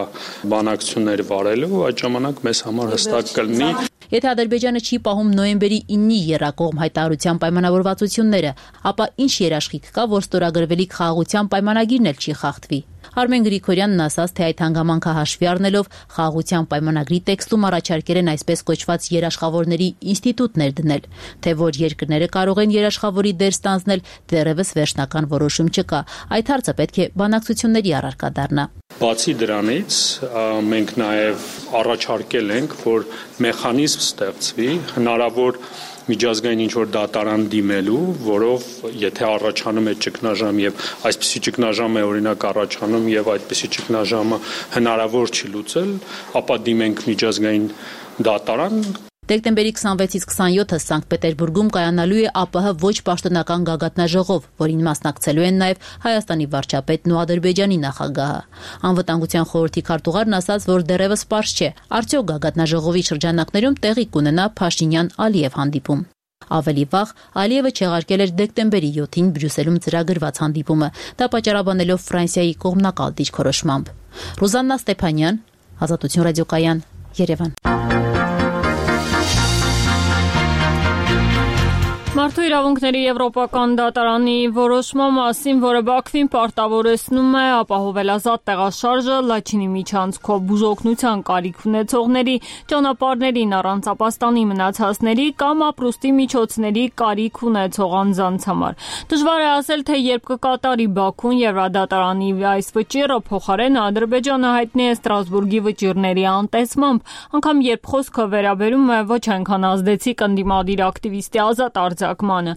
[SPEAKER 15] բանակցություններ վարելու, այդ ժամանակ մեզ համար հստակ կլինի։
[SPEAKER 14] Եթե Ադրբեջանը չի պահում նոյեմբերի իննի եռակողմ հայտարարության պայմանավորվածությունները, ապա ինչ երաշխիք կա, որ ստորագրվելիք խաղաղության պայմանագիրն էլ չի խախտվի։ Արմեն Գրիգորյանն ասաց, թե այդ հանգամանքը հաշվի առնելով խաղաղության պայմանագրի տեքստում առաջարկել են այսպես կոչված երաշխավորների ինստիտուտ ներդնել, թե որ երկրները կարող են երաշխավորի դեր ստանձնել, դեռևս վերջնական որոշում չկա։ Այդ հարցը պետք է բանակցությունների առարկա դառնա։
[SPEAKER 15] Բացի դրանից մենք նաև առաջարկել ենք, որ մեխանիզմ ստեղծվի հնարավոր միջազգային ինչ-որ դատարան դիմելու, որով եթե առաջանում է ճգնաժամ եւ այսպիսի ճգնաժամ է օրինակ առաջանում եւ այդպիսի ճգնաժամը հնարավոր չի լուծել, ապա դիմենք միջազգային դատարան։
[SPEAKER 14] Դեկտեմբերի քսանվեցից քսանյոթը Սանկտ Պետերբուրգում կայանալու է ԱՊՀ ոչ պաշտոնական գագաթնաժողով, որին մասնակցելու են նաև Հայաստանի վարչապետն ու Ադրբեջանի նախագահը։ Անվտանգության խորհրդի քարտուղարն ասաց, որ դեռևս պարզ չէ, արդյոք գագաթնաժողովի շրջանակներում տեղի կունենա Փաշինյան-Ալիև հանդիպում։ Ավելի վաղ Ալիևը չեղարկել էր դեկտեմբերի յոթին Բրյուսելում ծրագրված հանդիպումը, դա պատճառաբանելով Ֆրանսիայի կողմնակալ դիրքորոշմամբ։ Ռուզաննա Ստեփանյան, Ազատություն ռադիոկայան, Երևան։
[SPEAKER 1] Մարդու իրավունքների եվրոպական դատարանի որոշման մասին, որը Բաքվին պարտավորեցնում է ապահովել ազատ տեղաշարժը Լաչինի միջանցքով բուժօգնության կարիք ունեցողների, ճանապարհներին առանց ապաստանի մնացածների կամ ապրուստի միջոցների կարիք ունեցող անձանց համար։ Դժվար է ասել, թե երբ կկատարի Բաքուն Եվրադատարանի այս վճիռը, փոխարեն Ադրբեջանը հայտնի է Ստրասբուրգի վճիռների անտեսմամբ, անգամ երբ խոսքը վերաբերում է ոչ այնքան ազդեցիկ ընդդիմադիր ակտիվիստի ազատ արձակմանը։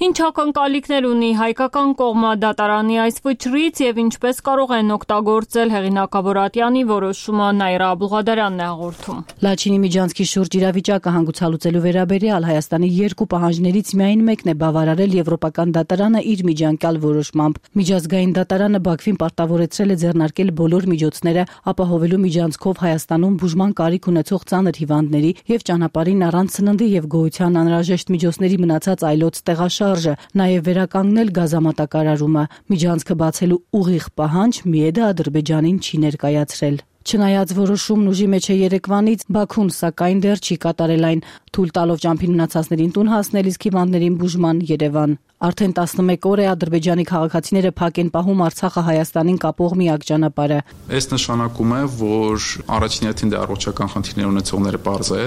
[SPEAKER 1] Ինչ ակնկալիքներ ունի հայկական կողմը դատարանի այս վճռից եւ ինչպես կարող են օգտագործել հեղինակավոր Ատյանի որոշումը Նաիրա Աբուղադարյանն է հաղորդում։
[SPEAKER 16] Լաչինի միջանցքի շուրջ իրավիճակը հանգուցալուծելու վերաբերյալ Հայաստանի երկու պահանջներից միայն մեկն է բավարարել Եվրոպական դատարանը իր միջանկյալ որոշմամբ։ Միջազգային դատարանը Բաքվին պարտավորեցրել է ձեռնարկել բոլոր միջոցները ապահովելու միջանցքով Հայաստանում բուժման կարիք ունեցող ծանր հիվանդների եւ ճանապարհին առանց սննդի եւ գոյության անհրաժեշտ միջոցների մնացած այլոց տեղաշարժը, նաև վերականգնել գազամատակարարումը։ Միջանցքը բացելու ուղիղ պահանջ Միեդը Ադրբեջանին չի ներկայացրել։ Չնայած որոշումն ուժի մեջ է երեկվանից, Բաքուն սակայն դեռ չի կատարել այն, թույլ տալով ճամփին մնացածներին տուն հասնել, իսկ հիվանդներին բուժման Երևան։ Արդեն տասնմեկ օր է Ադրբեջանի քաղաքացիները փակ են պահում Արցախը Հայաստանին կապող միակ ճանապարհը։
[SPEAKER 17] Այս նշանակում է, որ առաջին հերթին դա առողջական խնդիրներ ունեցողները պարզ է,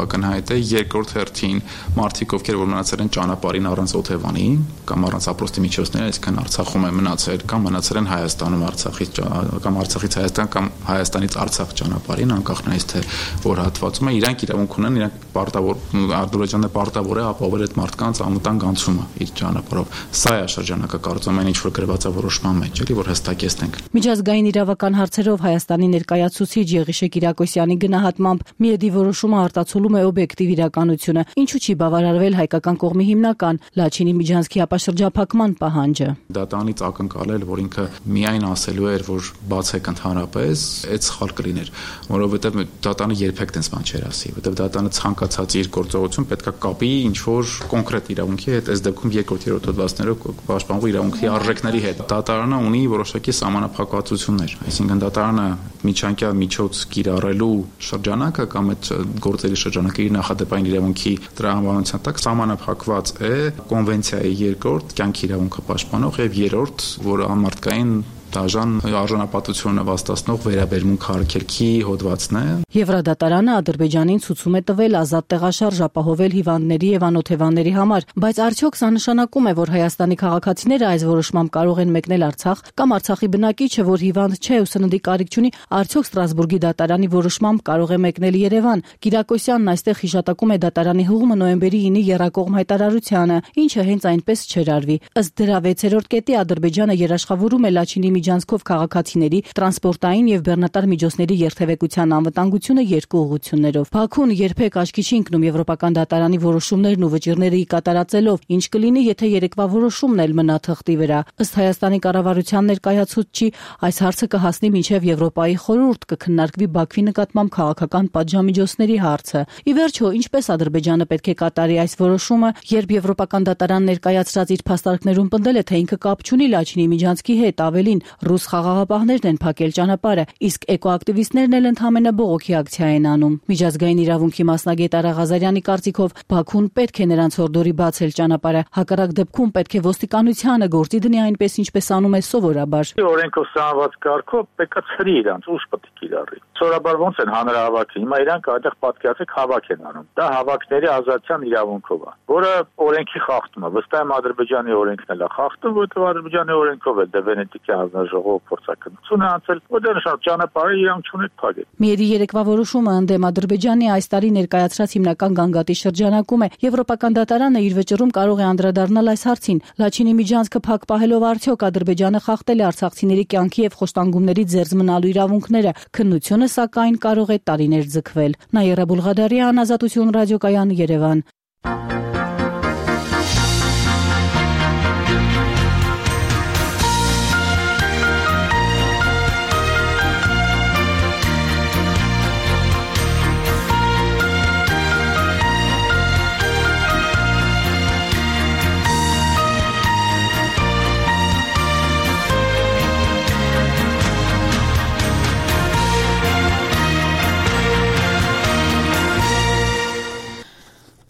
[SPEAKER 17] ակնհայտ է, երկրորդ հերթին մարդիկ, ովքեր որ մնացել են ճանապարհին առանց օթևանի կամ առանց ապրոստի միջոցների, այսինքն Արցախում են մնացել կամ մնացել են Հայաստանում Արցախից կամ Արցախից Հայաստան կամ Հայաստանից Արցախ ճանապարհին, անկախ նայից թե որ հատվածում է, իրանք իրավունք ունեն, իրանք պարտավոր Ադրբեջանը պարտավոր է ապահովել այդ մարդկանց անվտանգ անցումը իր ճանապարհով։ Սա է շրջանակը կարծում եմ ինչ որ գրված է որոշման մեջ, էլի որ հստակեցնենք։
[SPEAKER 16] Միջազգային իրավական հարցերով Հայաստանի ներկայացուցիչ Եղիշե Կիրակոսյանի գնահատմամբ Միեդի որոշումը արտացոլում է օբյեկտիվ իրականությունը, ինչու չի բավարարվել հայկական կողմի հիմնական Լաչինի միջանցքի ապաշրջափակման պահանջը։
[SPEAKER 17] Դատարանից ակնկալել, որ ինքը միայն ասելու էր, որ բացեք ընդհանրապես, այդ սխալ կլիներ, որովհետև դատարանը երբեք տենց բան չէր ասի, որովհետև դատարանը ցանկացած իր գործողություն պետքա կապի ինչ որ կոնկրետ իրավունքի հետ, այս դեպքում երկրորդ երրորդ հոդվածներով պաշտպանող իրավունքի արժեքների հետ։ Դատարանը ունի որոշակի սահմանափակվածություններ, այսինքն դատարանը միջանկյալ միջոց կիրառելու շրջանակը կամ այդ գործերի շրջանակը իր նախադեպային իրավունքի տրամաբանության տակ սահմանափակված է կոնվենցիայի երկրորդ կյանքի իրավունքը պաշտպանող եւ երրորդ, որ ամարտկային դաժան արժանապատվությունը վաստացնող վերաբերմունք արգելքի հոդվածն է։
[SPEAKER 16] Եվրադատարանը Ադրբեջանին ցուցում է տվել ազատ տեղաշարժ ապահովել հիվանդների եւ անօթևանների համար, բայց արդյոք սա նշանակում է, որ Հայաստանի քաղաքացիները այս որոշմամբ կարող են մեկնել Արցախ կամ Արցախի բնակիչը, որ հիվանդ չէ ու սննդի կարիք չունի, արդյոք Ստրասբուրգի դատարանի որոշմամբ կարող է մեկնել Երևան։ Կիրակոսյանն այստեղ հիշատակում է դատարանի հուղումը նոյեմբերի ինի եռակողմ հայտարարությանը, ինչը հենց այնպես չէր արվի։ Ըստ դրա վեցերորդ կետի Ադրբեջանը երաշխավորում է Լաչինի միջանցքով քաղաքացիների տրանսպորտային եւ բեռնատար միջոցների երթևեկության անվտանգությունը երկու ուղղություններով։ Բաքուն երբեք աչքի չի ընկնում Եվրոպական դատարանի որոշումներն ու վճիռները կատարածելով, ինչ կլինի, եթե երեկվա որոշումն էլ մնա թղթի վրա։ Ըստ Հայաստանի կառավարության ներկայացուցչի, այս հարցը կհասնի մինչև Եվրոպայի խորհուրդ կքննարկվի Բաքվի նկատմամբ քաղաքական պատժամիջոցների հարցը։ Ի վերջո, ինչպես Ադրբեջանը պետք է կատարի այս որոշումը, երբ Եվրոպական դատարան ներկայացրած իր փաստարկներում պնդել է, թե ինքը կապ չունի Լաչինի միջանցքի հետ, ավելին Ռուս խաղաղապահներն են փակել ճանապարհը, իսկ էկոակտիվիստներն էլ ընդհանրապես բողոքի ակցիա են անում։ Միջազգային իրավունքի մասնագետ Արա Ղազարյանի կարծիքով Բաքուն պետք է նրանց հորդորի բացել ճանապարհը, հակառակ դեպքում պետք է ոստիկանությանը գործի դնի այնպես ինչպես անում է սովորաբար։
[SPEAKER 18] Օրենքով սահմանված կարգով պետք է ցրի իրանց, ուժ պետք է կիրառի։ Սովորաբար ոնց են հանրահավաքը, հիմա իրանք այդտեղ պատկերացեք հավաք են անում։ Դա հավաքների ազատության իրավունքով է, որը օրենքի խախտում է։ Վստահ եմ Ադրբեջանի օրենքն էլ է խախտում, որովհետև Ադրբեջանի օրենքով էլ դե Վենետիկի հանձնաժողով փորձակնություն է անցել, որտեղ նշան ճանապարհը իրանք չունեն փակել։
[SPEAKER 16] Միերի երեկվա որոշումը ընդդեմ Ադրբեջանի այս տարի ներկայացրած հիմնական գանգատի շրջանակում է։ Եվրոպական դատարանը իր վճռում կարող է անդրադառնալ այս հարցին։ Լաչինի միջանցքը փակ պահելով արդյոք Ադրբեջանը խախտել է արցախցիների կյանքի եւ խոշտանգումների ձեռձ մնալու իրավունքները։ Քննությունը սակայն կարող է տարիներ ձգվել։ Նաիրա Բուլղադարյան, Ազատություն ռադիոկայան, Երևան։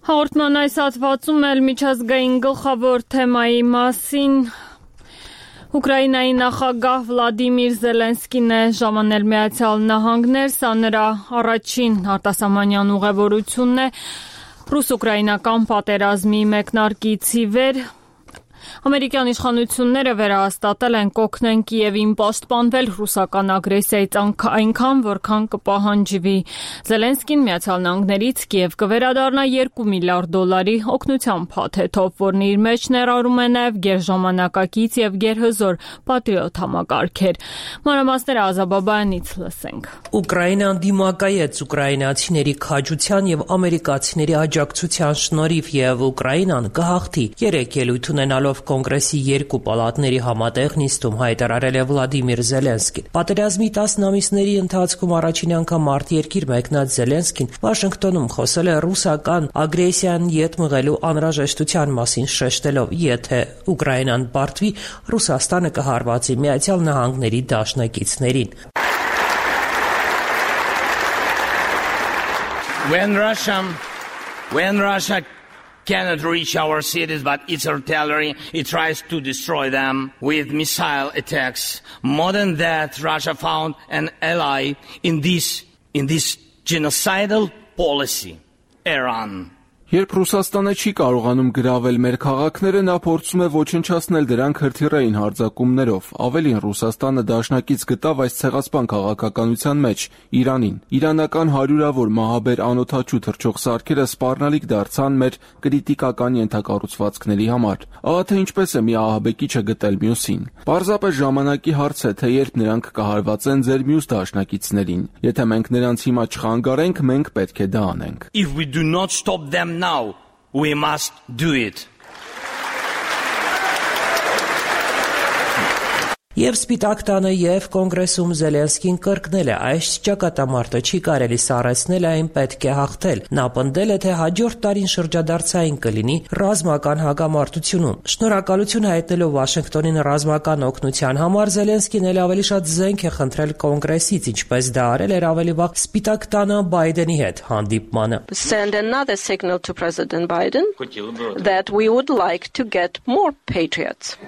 [SPEAKER 1] Հաղորդման այս հատվածում էլ միջազգային գլխավոր թեմայի մասին Ուկրաինայի նախագահ Վլադիմիր Զելենսկին է ժամանել Միացյալ Նահանգներ, սա նրա առաջին արտասահմանյան ուղևորությունն է ռուս-ուկրաինական պատերազմի մեկնարկից ի վեր։ Ամերիկյան իշխանությունները վերահաստատել են կօգնեն Կիևին պաշտպանվել ռուսական ագրեսիայից այնքան, որքան կպահանջվի։ Զելենսկին Միացյալ Նահանգներից Կիև կվերադառնա երկու միլիարդ դոլարի օգնության փաթեթով, որն իր մեջ ներառում է նաև գերժամանակակից եւ գերհզոր պատրիոտ համակարգեր։ Մանրամասները Ազաբաբայանից լսենք։
[SPEAKER 19] Ուկրաինան դիմակայեց ուկրաինացիների քաջության եւ ամերիկացիների աջակցության շնորհիվ եւ Ուկրաինան կհաղթի։ Երեք ելույթ ունենալով Կոնգրեսի երկու պալատների համատեղ նիստում հայտարարել է Վլադիմիր Զելենսկին։ Պատերազմի տասն ամիսների ընթացքում առաջին անգամ արտերկիր մեկնած Զելենսկին Վաշինգտոնում խոսել է ռուսական ագրեսիան ետ մղելու անհրաժեշտության մասին, շեշտելով, եթե Ուկրաինան պարտվի, Ռուսաստանը կհարվածի Միացյալ Նահանգների դաշնակիցներին։
[SPEAKER 20] When Russia when Russia cannot reach our cities, but its artillery, it tries to destroy them with missile attacks. More than that, Russia found an ally in this, in this genocidal policy, Iran.
[SPEAKER 21] Երբ Ռուսաստանը չի կարողանում գրավել մեր քաղաքները, նա փորձում է ոչնչացնել դրանք հրթիռային հարձակումներով։ Ավելին, Ռուսաստանը դաշնակից գտավ այս ցեղասպան քաղաքականության մեջ Իրանին։ Իրանական հարյուրավոր մահաբեր անօդաչու թռչող սարքերը սպառնալիք դարձան մեր կրիտիկական ենթակառուցվածքների համար։ Ահա թե ինչպես է մի ահաբեկիչը գտել մյուսին։ Պարզապես ժամանակի հարց է, թե երբ նրանք կհարվածեն ձեր մյուս դաշնակիցներին։ Եթե մենք նրանց հիմա չխանգարենք, մենք պետք է դա անենք։
[SPEAKER 20] If we do not stop them now, we must do it.
[SPEAKER 19] Եվ Սպիտակ տանը եւ Կոնգրեսում Զելենսկին կրկնել է, այս ճակատամարտը չի կարելի սառեցնել, այն պետք է հաղթել։ Նա պնդել է, թե հաջորդ տարին շրջադարձային կլինի ռազմական հակամարտությունում։ Շնորհակալություն հայտնելով Վաշինգտոնին ռազմական օգնության համար, Զելենսկին էլ ավելի շատ զենք է խնդրել Կոնգրեսից, ինչպես դա արել էր ավելի վաղ Սպիտակ տանը Բայդենի հետ հանդիպմանը։
[SPEAKER 22] Send another signal to President Biden that we would like to get more patriots.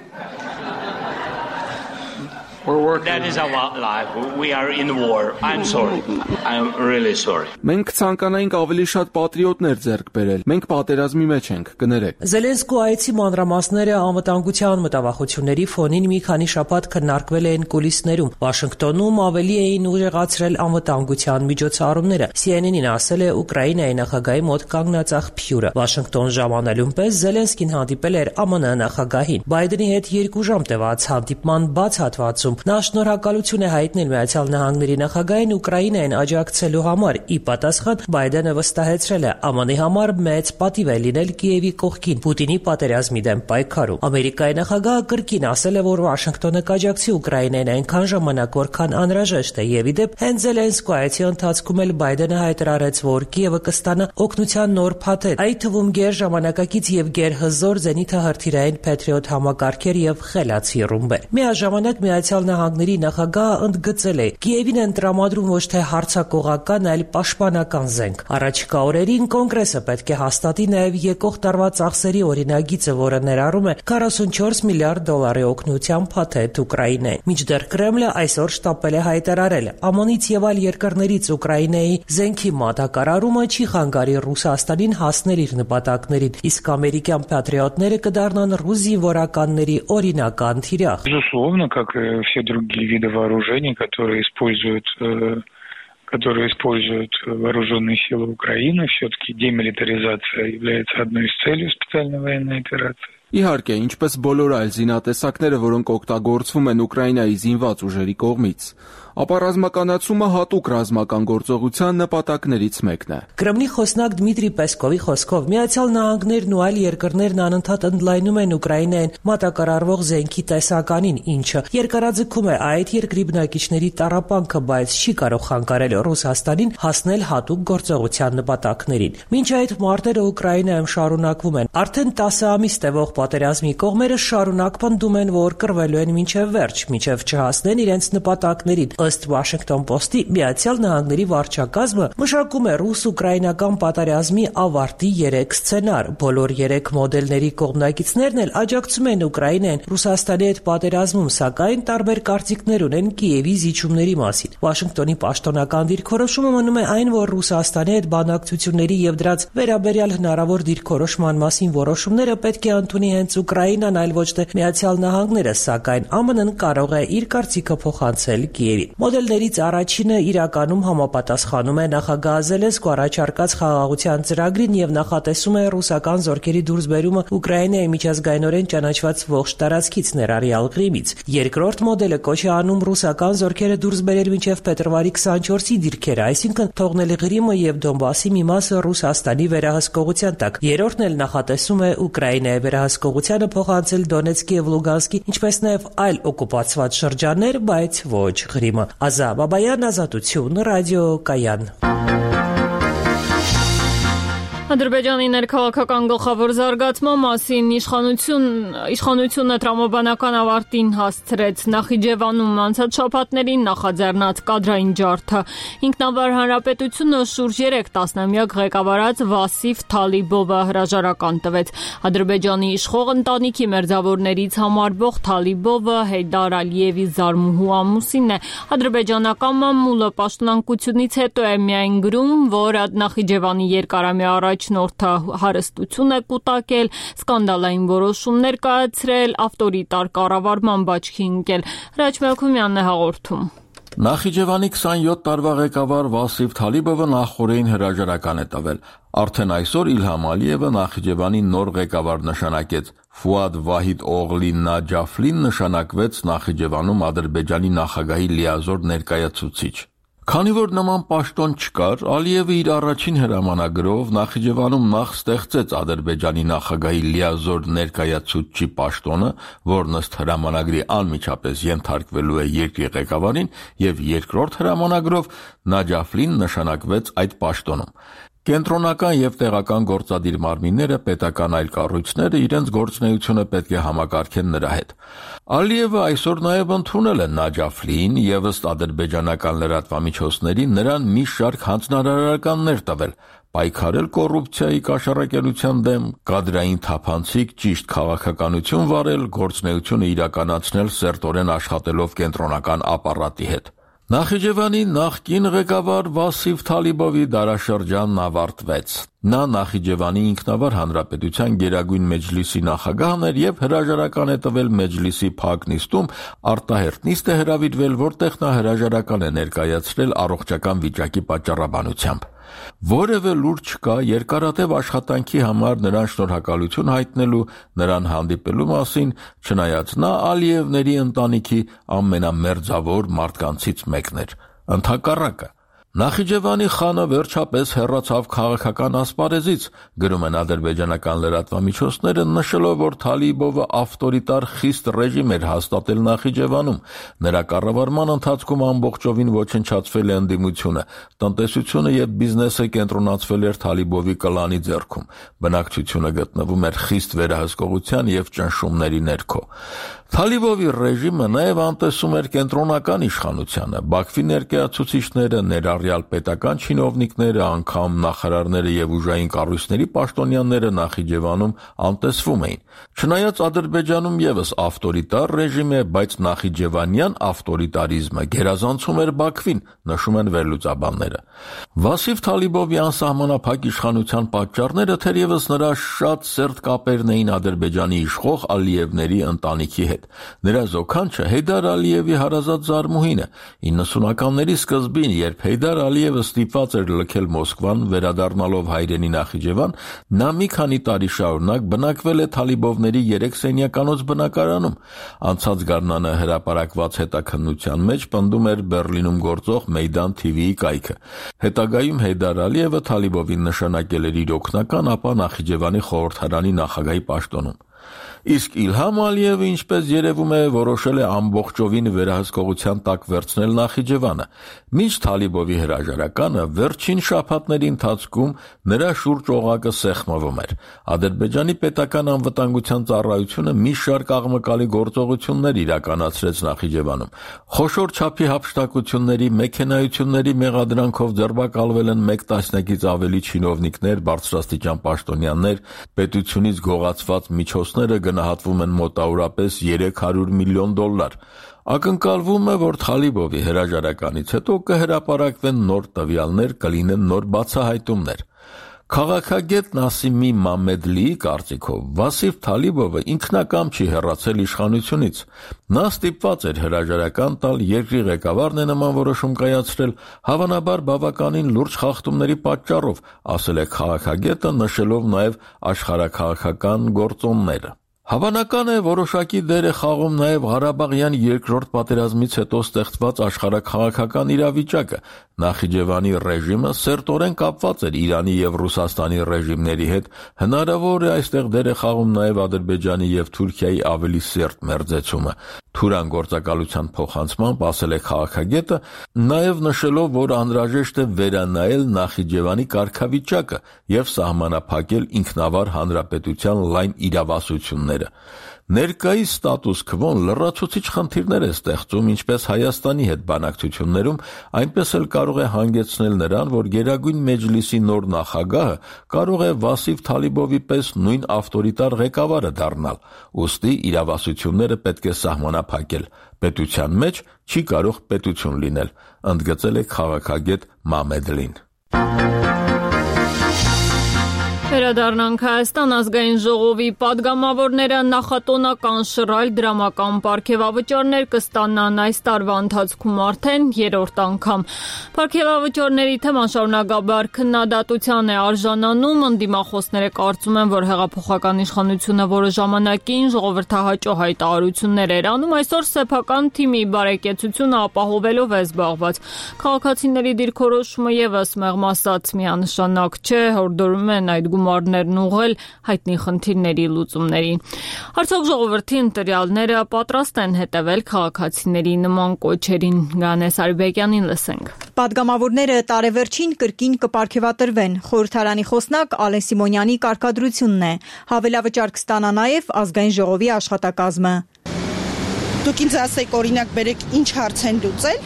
[SPEAKER 20] That is our life. We are in war. I'm sorry. I'm really sorry.
[SPEAKER 21] Մենք ցանկանայինք ավելի շատ պատրիոտներ ձեռք բերել։ Մենք պատերազմի մեջ ենք, կներեք։
[SPEAKER 19] Զելենսկու այցի մանրամասները անվտանգության մտավախությունների ֆոնին մի քանի շաբաթ քննարկվել էին կուլիսներում։ Վաշինգտոնում ավելի էին ուժեղացրել անվտանգության միջոցառումները։ C N N-ին ասել է Ուկրաինայի նախագահի մոտ կանգնած աղբյուրը։ Վաշինգտոն ժամանելուն պես Զելենսկին հանդիպել էր A M N նախագահին։ Բայդենի հետ երկու ժամ տևած հանդիպման բաց հատվածում Նա շնորհակալություն է հայտնել Միացյալ Նահանգների նախագահին Ուկրաինային աջակցելու համար։ Ի պատասխան Բայդենը վստահեցրել է A M N-ի համար մեծ պատիվ է լինել Կիևի կողքին Պուտինի պատերազմի դեմ պայքարում։ Ամերիկայի նախագահը կրկին ասել է, որ Վաշինգտոնը կաջակցի Ուկրաինային այնքան ժամանակ, որքան անհրաժեշտ է, եւ ի դեպ հենց Զելենսկու այցի ընթացքում էլ Բայդենը հայտարարեց, որ Կիևը կստանա օգնության նոր փաթեթ, այդ թվում գերժամանակակից եւ գերհզոր զենիթահրթիռային Patriot համակարգեր եւ խելացի ռումբեր։ Միաժամանակ Միացյալ Նահանգների նախագահը ընդգծել է. Կիևին են տրամադրում ոչ թե հարձակողական, այլ պաշտպանական զենք։ Առաջիկա օրերին կոնգրեսը պետք է հաստատի նաև եկող տարվա ծախսերի օրինագիծը, որը ներառում է քառասունչորս միլիարդ դոլարի օգնության փաթեթ Ուկրաինային։ Մինչդեռ Կրեմլը այսօր շտապել է հայտարարել. ԱՄՆ-ից եւ այլ երկրներից Ուկրաինայի զենքի մատակարարումը չի խանգարի Ռուսաստանին հասնել իր նպատակներին, իսկ ամերիկյան պատրիոտները կդառնան ռուս զինվորականների օրինական թիրախ։
[SPEAKER 2] Безусловно, как и все другие виды вооружений, которые используют которые используют вооруженные силы Украины, все-таки демилитаризация является одной из целей специальной военной операции.
[SPEAKER 21] Իհարկե, ինչպես բոլոր այլ զինատեսակները, որոնք օգտագործվում են Ուկրաինայի զինված ուժերի կողմից, ապա ռազմականացումը հատուկ ռազմական գործողության նպատակներից մեկն է։
[SPEAKER 19] Կրեմլի խոսնակ Դմիտրի Պեսկովի խոսքով Միացյալ Նահանգներն ու այլ երկրներն անընդհատ ընդլայնում են Ուկրաինային մատակարարվող զենքի տեսականին, ինչը երկարաձգում է այդ երկրի բնակիչների տառապանքը, բայց չի կարող խանգարել Ռուսաստանին հասնել հատուկ գործողության նպատակներին։ Մինչ այդ մարտերը Ուկրաինայում շարունակվում են։ Արդեն տասը ամիս տևող պատերազմի կողմերը շարունակ պնդում են, որ կռվելու են մինչև վերջ, մինչև չհասնեն իրենց նպատակներին։ Ըստ Washington Post-ի, Միացյալ Նահանգների վարչակազմը մշակում է ռուս-ուկրաինական պատերազմի ավարտի երեք սցենար։ Բոլոր երեք մոդելների կողմնակիցներն էլ աջակցում են Ուկրաինային Ռուսաստանի հետ պատերազմում, սակայն տարբեր կարծիքներ ունեն Կիևի զիջումների մասին։ Վաշինգտոնի պաշտոնական դիրքորոշումը մնում է այն, որ Ռուսաստանի հետ բանակցությունների եւ դրանց վերաբերյալ հնարավոր դիրքորոշման մասին որոշումները պետք է ընդունի հենց Ուկրաինան, այլ ոչ թե Միացյալ Նահանգները, սակայն ԱՄՆ-ն կարող է իր կարծիքը փոխանցել Կիևին։ Մոդելներից առաջինը իրականում համապատասխանում է նախագահ Զելենսկու առաջարկած խաղաղության ծրագրին եւ նախատեսում է ռուսական զորքերի դուրսբերումը Ուկրաինայի միջազգայինորեն ճանաչված ողջ տարածքից, ներառյալ Ղրիմից։ Երկրորդ մոդելը կոչ է անում ռուսական զորքերը դուրս բերել մինչև փետրվարի քսանչորսի դիրքերը, այսինքն թողնել Ղրիմը եւ Դոնբասի մի մասը Ռուսաստանի վերահսկողության տակ։ Երրորդն էլ նախատեսում է Ուկրաինայի վերահսկողությանը փոխանցել Դոնեցկի եւ Լուգանսկի, ինչպես նաեւ այլ օկուպացված շրջաններ, բայց ոչ Ղրիմը։ Ազա Բաբայան, Ազատություն, Ռադիո Կայան։
[SPEAKER 1] Ադրբեջանի ներքաղաքական գլխավոր զարգացման մասին իշխանություն իշխանությունը տրամաբանական ավարտին հասցրեց Նախիջևանում անցած շաբաթներին նախաձեռնած կադրային ջարդը։ Ինքնավար հանրապետությունը շուրջ երեք տասնամյակ ղեկավարած Վասիֆ Թալիբովը հրաժարական տվեց։ Ադրբեջանի իշխող ընտանիքի մերձավորներից համարվող Թալիբովը Հեյդար Ալիևի զարմուհու ամուսինն է։ Ադրբեջանական մամուլը պաշտոնակությունից հետո է միայն գրում, որ Նախիջևանի երկարամյա առաջ Նորդը հարստություն է կուտակել, սկանդալային որոշումներ կայացրել, ավտորիտար կառավարման բաճկի ընկել։ Հրաչ Մելքումյանն է հաղորդում։
[SPEAKER 4] Նախիջևանի քսանյոթ տարվա ղեկավար Վասիֆ Թալիբովը նախորդին հրաժարական է տվել։ Արդեն այսօր Իլհամ Ալիևը Նախիջևանի նոր ղեկավար նշանակեց։ Ֆուադ Վահիդ Օղլի Նաջաֆլին նշանակվեց Նախիջևանում Ադրբեջանի նախագահի լիազոր ներկայացուցիչ։ Քանի որ նման պաշտոն չկար, Ալիևը իր առաջին հրամանագրով Նախիջևանում նախ ստեղծեց Ադրբեջանի նախագահի լիազոր ներկայացուցչի պաշտոնը, որն ըստ հրամանագրի անմիջապես ենթարկվելու է երկրի ղեկավարին, եւ երկրորդ հրամանագրով Նաջաֆլին նշանակվեց այդ պաշտոնում։ Կենտրոնական եւ տեղական գործադիր մարմինները, պետական այլ կառույցները իրենց գործունեությունը պետք է համակարգեն նրա հետ։ Ալիևը այսօր նաեւ ընդունել է Նաջաֆլին եւ ըստ ադրբեջանական լրատվամիջոցների նրան մի շարք հանձնարարականներ տվել, պայքարել կոռուպցիայի կաշառակերության դեմ, կադրային թափանցիկ ճիշտ քաղաքականություն վարել, գործունեությունը իրականացնել սերտորեն աշխատելով կենտրոնական ապարատի հետ։ Նախիջևանի նախկին ղեկավար Վասիֆ Թալիբովի դարաշրջանն ավարտվեց։ Նա Նախիջևանի ինքնավար հանրապետության Գերագույն մեջլիսի նախագահն էր եւ հրաժարական է տվել մեջլիսի փակ նիստում, արտահերթ նիստ է հրավիրվել, որտեղ նա հրաժարական է ներկայացրել առողջական վիճակի պատճառաբանությամբ։ Որևէ լուր չկա երկարատև աշխատանքի համար նրան շնորհակալություն հայտնելու, նրան հանդիպելու մասին, չնայած նա Ալիևների ընտանիքի ամենամերձավոր մարդկանցից մեկն էր։ Ընդհակառակը, Նախիջևանի խանը վերջապես հեռացավ քաղաքական ասպարեզից, գրում են ադրբեջանական լրատվամիջոցները, նշելով, որ Թալիբովը ավտորիտար խիստ ռեժիմ էր հաստատել Նախիջևանում։ Նրա կառավարման ընթացքում ամբողջովին ոչնչացվել է ընդդիմությունը, տնտեսությունը եւ բիզնեսը կենտրոնացվել էր Թալիբովի կլանի ձեռքում։ Բնակչությունը գտնվում էր խիստ վերահսկողության եւ ճնշումների ներքո։ Թալիբովի ռեժիմը նաև անտեսում էր կենտրոնական իշխանությանը, Բաքվի ներկայացուցիչները, ներառյալ պետական չինովնիկները, անգամ նախարարները եւ ուժային կառույցների պաշտոնյաները Նախիջևանում անտեսվում էին։ Չնայած Ադրբեջանում եւս ավտորիտար ռեժիմ է, բայց նախիջևանյան ավտորիտարիզմը գերազանցում էր Բաքվին, նշում են վերլուծաբանները։ Վասիվ Թալիբովի անսահմանափակ իշխանության պատճառները թերևս նրա շատ սերտ կապերն էին Ադրբեջանի իշխող Ալիևների ընտանիքի հետ։ Նրա զոքանչը Հեյդար Ալիևի հարազատ զարմուհին է։ իննսունականների սկզբին, երբ Հեյդար Ալիևը ստիպված էր լքել Մոսկվան, վերադառնալով հայրենի Նախիջևան, նա մի քանի տարի շարունակ բնակվել է Թալիբովների երեք սենյականոց բնակարանում։ Անցած գարնանը հրապարակված հետաքննության մեջ պնդում էր Բեռլինում գործող Մեյդան թի վիի կայքը։ Հետագայում Հեյդար Ալիևը Թալիբովին նշանակել էր իր օգնական, ապա Նախիջևանի խորհրդարանի նախագահի պաշտոնում։ Իսկ Իլհամ Ալիևը, ինչպես երևում է, որոշել է ամբողջովին վերահսկողության տակ վերցնել Նախիջևանը։ Մինչ Թալիբովի հրաժարականը վերջին շաբաթների ընթացքում նրա շուրջ օղակը սեղմվում էր։ Ադրբեջանի պետական անվտանգության ծառայությունը մի շարք աղմկալի գործողություններ իրականացրեց Նախիջևանում։ Խոշոր չափի հափշտակությունների, մեքենայությունների մեղադրանքով ձերբակալվել են մեկ տասնյակից ավելի չինովնիկներ, բարձրաստիճան պաշտոնյաներ, պետությունից գողացված միջոցները գնահատվում են մոտավորապես երեք հարյուր միլիոն դոլար։ Ակնկալվում է, որ Թալիբովի հրաժարականից հետո կհրապարակվեն նոր տվյալներ, կլինեն նոր բացահայտումներ։ Քաղաքագետ Նասիմի Մամեդլիի կարծիքով Վասիվ Թալիբովը ինքնակամ չի հեռացել իշխանությունից։ Նա ստիպված էր հրաժարական տալ, երկրի ղեկավարն է նման որոշում կայացրել, հավանաբար բավականին լուրջ խախտումների պատճառով, ասել է քաղաքագետը, նշելով նաև աշխարհաքաղաքական գործոնները։ Հավանական է, որոշակի դեր է խաղում նաև Ղարաբաղյան երկրորդ պատերազմից հետո ստեղծված աշխարհաքաղաքական իրավիճակը։ Նախիջևանի ռեժիմը սերտորեն կապված էր Իրանի եւ Ռուսաստանի ռեժիմների հետ, հնարավոր է այստեղ դեր է խաղում նաև Ադրբեջանի եւ Թուրքիայի ավելի սերտ մերձեցումը։ Թուրան գործակալության փոխանցմամբ ասել է քաղաքագետը, նաև նշելով, որ անհրաժեշտ է վերանայել Նախիջևանի կարգավիճակը եւ սահմանափակել ինքնավար հանրապետության լայն իրավասությունները։ Ներկայիս ստատուս քվոն լրացուցիչ խնդիրներ է ստեղծում ինչպես Հայաստանի հետ բանակցություններում, այնպես էլ կարող է հանգեցնել նրան, որ Գերագույն Մեջլիսի նոր նախագահը կարող է Վասիվ Թալիբովի պես նույն ավտորիտար ղեկավարը դառնալ։ Ուստի իրավասությունները պետք է սահմանափակել։ Պետության մեջ չի կարող պետություն լինել, ընդգծել է քաղաքագետ Մամեդլին։
[SPEAKER 1] Վերադառնանք Հայաստան ազգային ժողովի պատգամավորները նախատոնական շռայլ դրամական պարգևավճարներ կստանան այս տարվա ընթացքում արդեն երրորդ անգամ։ Պարգևավճարների թեման շարունակաբար քննադատության է արժանանում, ընդդիմախոսները կարծում են, որ հեղափոխական իշխանությունը որը ժամանակին ժողովրդահաճո հայտարարություններ էր անում, այսօր սեփական թիմի բարեկեցությունը ապահովելով է զբաղված։ Քաղաքացիների դիրքորոշումը եւս մեղմ ասած միանշանակ չէ, հորդորում են այդ գումարներն ուղղել հայտնի խնդիրների լուծումներին։ Արդյոք ժողովրդի ընտրյալները պատրաստ են հետևել քաղաքացիների նման կոչերին։ Գանես Արիբեկյանին լսենք։
[SPEAKER 5] Պատգամավորները տարեվերջին կրկին կպարգևատրվեն։ Խորհրդարանի խոսնակ Ալեն Սիմոնյանի կարգադրությունն է։ Հավելավճար կստանա նաև ազգային ժողովի աշխատակազմը։
[SPEAKER 6] Դուք ինձ ասեք, օրինակ, բերեք ինչ հարց են լուծել։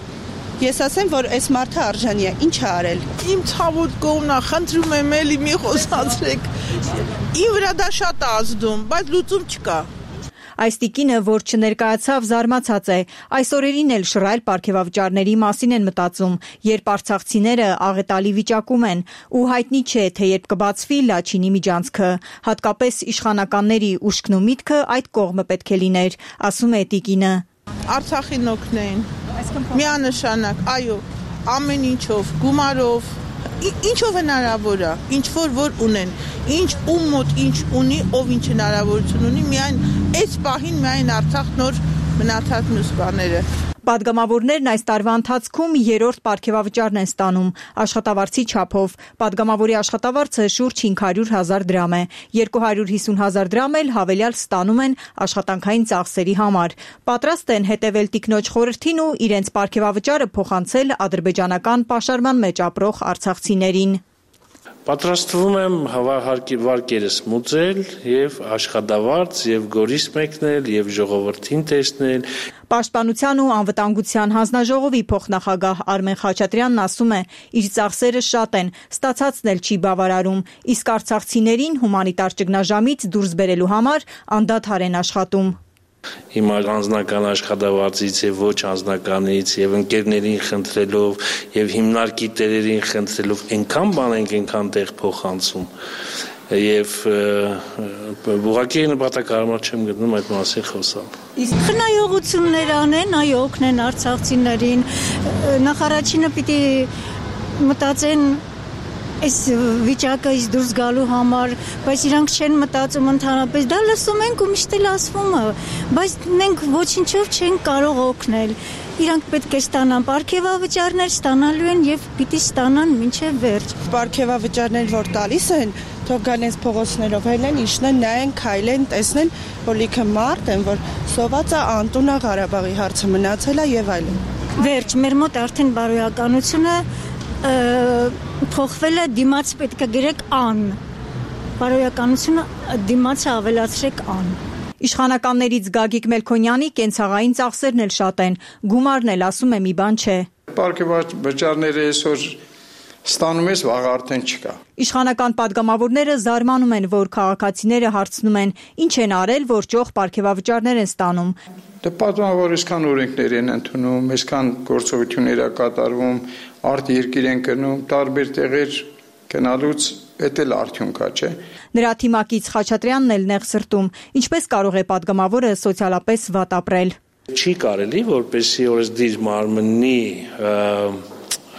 [SPEAKER 6] Ես ասեմ, որ այս մարդը արժանի է, ինչ է արել։
[SPEAKER 23] Իմ ցավոտ կողմնա, խնդրում եմ էլի մի խոսացրեք։ Իմ վրա դա շատ է ազդում, բայց լուծում չկա։
[SPEAKER 5] Այս տիկինը, որ չներկայացավ, զարմացած է։ Այս օրերին էլ շռայլ պարգևավճարների մասին են մտածում, երբ արցախցիները աղետալի վիճակում են, ու հայտնի չէ, թե երբ կբացվի Լաչինի միջանցքը։ Հատկապես իշխանականների ուշքն ու միտքը այդ կողմը պետք է լիներ, ասում է տիկինը։
[SPEAKER 23] Արցախին օգնեն։ Միանշանակ, այո, ամեն ինչով, գումարով, ինչով հնարավոր է, ինչ որ որ ունեն, ինչ ում մոտ ինչ ունի, ով ինչ հնարավորություն ունի, միայն այս պահին միայն Արցախ նոր մնացած մյուս բաները։
[SPEAKER 5] Պատգամավորներն այս տարվա ընթացքում երրորդ պարգևավճարն են ստանում աշխատավարձի չափով։ Պատգամավորի աշխատավարձը շուրջ հինգ հարյուր հազար դրամ է, երկու հարյուր հիսուն հազար դրամ էլ հավելյալ ստանում են աշխատանքային ծախսերի համար։ Պատրաստ են հետևել տիկնոջ խորհրդին ու իրենց պարգևավճարը փոխանցել ադրբեջանական պաշարման մեջ ապրող արցախցիներին։
[SPEAKER 7] Պատրաստվում եմ վարկերս մուծել եւ աշխատավարձ եւ գորիս մեկնել եւ ժողովրդին տեսնել։
[SPEAKER 5] Պաշտպանության ու անվտանգության հանձնաժողովի փոխնախագահ Արմեն Խաչատրյանն ասում է, իր ծախսերը շատ են, ստացածն էլ չի բավարարում, իսկ արցախցիներին հումանիտար ճգնաժամից դուրս բերելու համար անդադար են աշխատում։
[SPEAKER 7] Հիմա անձնական աշխատավարձից եւ ոչ անձնականից եւ ընկերներին խնդրելով եւ հիմնարկի տերերին խնդրելով այնքան բան ենք այնքան տեղ փոխանցում եւ ուղղակի նպատակարար չեմ գտնում այդ մասին խոսալ։
[SPEAKER 8] Իսկ խնայողություններ անեն, այո, օգնեն արցախցիներին, նախարարինը պիտի մտածեն այս վիճակից դուրս գալու համար, բայց իրանք չեն մտածում ընդհանրապես, դա լսում ենք ու միշտ էլ ասվում է, բայց մենք ոչինչով չենք կարող օգնել։ Իրանք պետք է ստանան պարգևավճարներ, ստանալու են եւ պիտի ստանան մինչեւ վերջ։
[SPEAKER 6] Պարգևավճարներ, որ տալիս են, թող գանեն փողոցներով հելեն, իշնեն, նայեն, քայլեն, տեսնեն, որ լիքը մարդ են, որ սոված է անտունա Ղարաբաղի հարցը մնացել է եւ այլն։
[SPEAKER 8] Վերջ, մեր մոտ արդեն բարոյականությունը փոխվել է, դիմաց պետք է գրեք ան, բարոյականությունը դիմացը ավելացրեք ան։
[SPEAKER 5] Իշխանականներից Գագիկ Մելքոնյանի կենցաղային ծախսերն էլ շատ են, գումարն էլ ասում է մի բան չէ։
[SPEAKER 9] Պարգևավճարները այսօր ստանում ես, վաղ արդեն չկա։
[SPEAKER 5] Իշխանական պատգամավորները զարմանում են, որ քաղաքացիները հարցնում են, ինչ են արել, որ ճոխ պարգևավճարներ են ստանում։
[SPEAKER 9] Դե պատմում որ այսքան օրենքներ են ընդունում, այսքան գործողություններ է կատարվում, արդ երկիր են գնում, տարբեր տեղեր գնալուց էդ էլ արդյունք է, չէ։
[SPEAKER 5] Նրա թիմակից Խաչատրյանն էլ նեղ սրտում, ինչպես կարող է պատգամավորը սոցիալապես վատ ապրել։
[SPEAKER 7] Չի կարելի, որպեսզի օրեսդիր մարմնի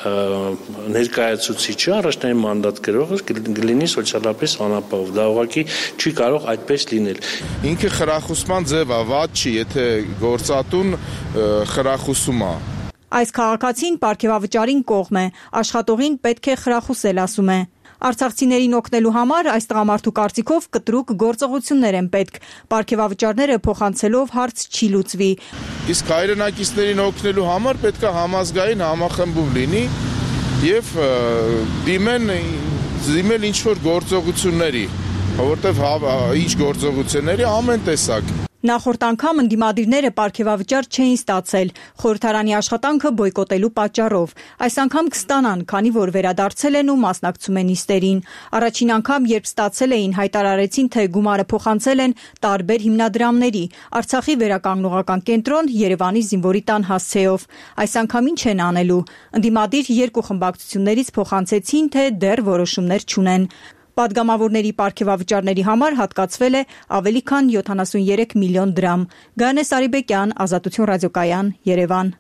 [SPEAKER 7] ներկայացուցիչը առաջնային մանդատ գրողը կլինի սոցիալապես անապահով, դա ուղղակի չի կարող այդպես լինել։
[SPEAKER 24] Ինքը խրախուսման ձև է, վատ չի, եթե գործատուն խրախուսում է։
[SPEAKER 5] Այս քաղաքացին պարգևավճարին կողմ է, աշխատողին պետք է խրախուսել, ասում է։ Արցախցիներին օգնելու համար այս տղամարդու կարծիքով կտրուկ գործողություններ են պետք։ Պարգևավճարները փոխանցելով հարց չի լուծվի։
[SPEAKER 24] Իսկ հայրենակիցներին օգնելու համար պետք է համազգային համախմբում լինի եւ դիմեն դիմել ինչ որ գործողությունների, որովհետեւ ինչ գործողությունների ամեն տեսակ։
[SPEAKER 5] Նախորդ անգամ ընդդիմադիրները պարգևավճար չէին ստացել խորհրդարանի աշխատանքը բոյկոտելու պատճառով։ Այս անգամ կստանան, քանի որ վերադարձել են ու մասնակցում են նիստերին։ Առաջին անգամ, երբ ստացել էին, հայտարարեցին, թե գումարը փոխանցել են տարբեր հիմնադրամների՝ Արցախի վերականգնողական կենտրոն, Երևանի զինվորի տան հասցեով։ Այս անգամ ինչ են անելու։ Ընդդիմադիր երկու խմբակցություններից փոխանցեցին, թե դեռ որոշումներ չունեն։ Պատգամավորների պարգևավճարների համար հատկացվել է ավելի քան յոթանասուներեք միլիոն դրամ։ Գայանե Սարիբեկյան, Ազատություն ռադիոկայան, Երևան։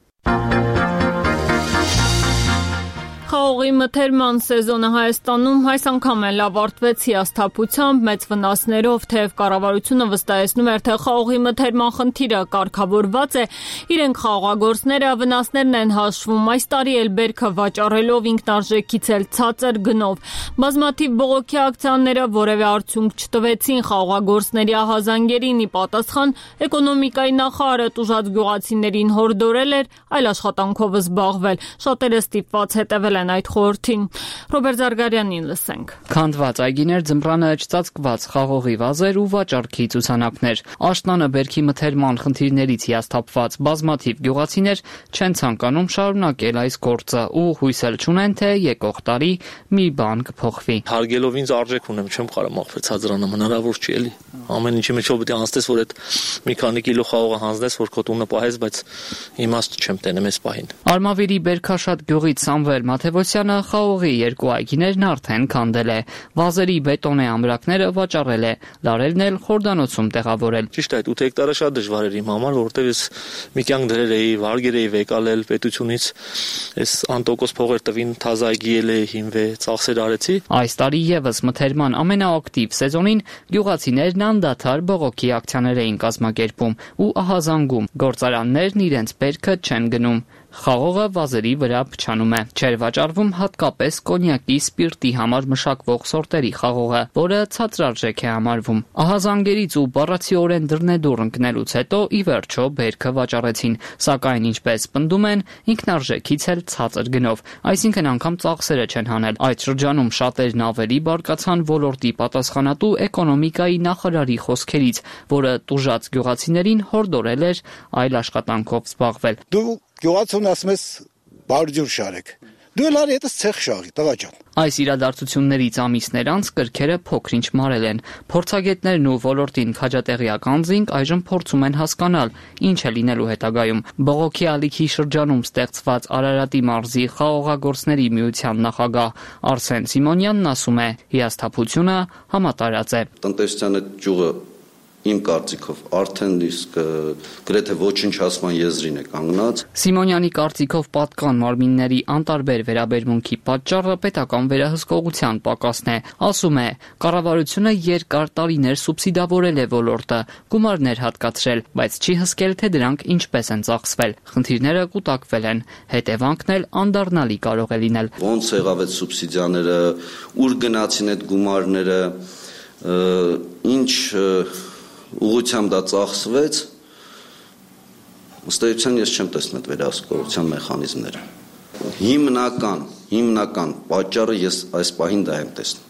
[SPEAKER 1] Խաղողի մթերման սեզոնը Հայաստանում այս անգամ էլ ավարտվեց հիասթափությամբ, մեծ վնասներով, թեև կառավարությունը վստահեցնում էր, թե խաղողի մթերման խնդիրը կարգավորված է, իրենք խաղողագործները վնասներն են հաշվում, այս տարի էլ բերքը վաճառելով ինքնարժեքից էլ ցածր գնով։ Բազմաթիվ բողոքի ակցիաները որևէ արդյունք չտվեցին խաղողագործների ահազանգերին, ի պատասխան էկոնոմիկայի նախարարը տուժած գյուղացիներին հորդորել էր այլ աշխատանքով զբաղվել։ Շատերը ստիպված հետևել են այդ խորհրդին։ Ռոբերտ Զարգարյանին լսենք։
[SPEAKER 25] Քանդված այգիներ, ձմռանը չծածկված խաղողի վազեր ու վաճառքի ցուցանակներ։ Աշնանը բերքի մթերման խնդիրներից հիասթափված բազմաթիվ գյուղացիներ չեն ցանկանում շարունակել այս գործը ու հույսել չունեն, թե եկող տարի մի բան կփոխվի։
[SPEAKER 26] Հարգելով ինձ արժեք ունեմ, չեմ կարող մախվել ցածրանամ, հնարավոր չի էլի։ Ամեն ինչի մեջով պետք է անցնես, որ այդ մի քանի կիլո խաղողը հանձնես, որ քո տունը պահես, բայց իմաստ չեմ տենեմ այս պահին։
[SPEAKER 25] Արմավիրի Բերքաշատ գյուղից Սամվել Մաթև Թևոսյանը խաղողի երկու այգիներն արդեն քանդել է։ Վազերի բետոնե ամրակները վաճառել է, լարերն էլ Խորդանոցում տեղավորել։
[SPEAKER 26] Ճիշտ է, այդ ութ հեկտարը շատ դժվար էր իմ համար, որովհետև ես մի կյանք դրել էի, վարգեր էի վեկալել պետությունից, այս անտոկոս փողեր տվին, թազա այգի էլ էի հիմվե, ծախսեր արեցի։
[SPEAKER 25] Այս տարի եւս մթերման ամենաակտիվ սեզոնին գյուղացիներն անդադար բողոքի ակցիաներ էին կազմակերպում ու ահազանգում։ Գործարաններն իրենց բերքը չեն գնում։ Խաղողը վազերի վրա փչանում է։ Չէր վաճառվում հատկապես կոնյակի սպիրտի համար մշակվող սորտերի խաղողը, որը ցածրարժեք է համարվում։ Ահազանգերից ու բառացիորեն դռնեդուռ ընկնելուց հետո ի վերջո բերքը վաճառեցին, սակայն ինչպես պնդում են, ինքնարժեքից էլ ցածր գնով, այսինքն անգամ ծախսերը չեն հանել։ Այդ շրջանում շատերն ավելի բարկացան ոլորտի պատասխանատու էկոնոմիկայի նախարարի խոսքերից, որը տուժած գյուղացիներին հորդորել էր այլ աշխատանքով զբաղվել։
[SPEAKER 3] Դու գյուղացուն ասում ես բարջուր շարեք։ Դու էլ արի հետս ցեխ շաղի, տղա ջան։
[SPEAKER 25] Այս իրադարձություններից ամիսներ անց կրքերը փոքրինչ մարել են։ Փորձագետներն ու ոլորտին քաջատեղյակ անձինք այժմ փորձում են հասկանալ, ինչ է լինելու հետագայում։ Բողոքի ալիքի շրջանում ստեղծված Արարատի մարզի խաղողագործների միության նախագահ Արսեն Սիմոնյանն ասում է, հիասթափությունը համատարած է։
[SPEAKER 10] Տնտեսության այդ ճյուղը իմ կարծիքով արդեն իսկ գրեթե ոչնչացման եզրին է կանգնած։
[SPEAKER 25] Սիմոնյանի կարծիքով պատկան մարմինների անտարբեր վերաբերմունքի պատճառը պետական վերահսկողության պակասն է։ Ասում է, կառավարությունը երկար տարիներ սուբսիդավորել է ոլորտը, գումարներ հատկացրել, բայց չի հսկել, թե դրանք ինչպես են ծախսվել։ Խնդիրները կուտակվել են, հետևանքն էլ անդառնալի կարող է լինել։
[SPEAKER 10] Ոնց եղավ այդ սուբսիդիաները, ուր գնացին այդ գումարները, ինչ ուղղությամբ դա ծախսվեց, ըստ էության ես չեմ տեսնում այդ վերահսկողության մեխանիզմները։ Հիմնական, հիմնական պատճառը ես այս պահին դա եմ տեսնում։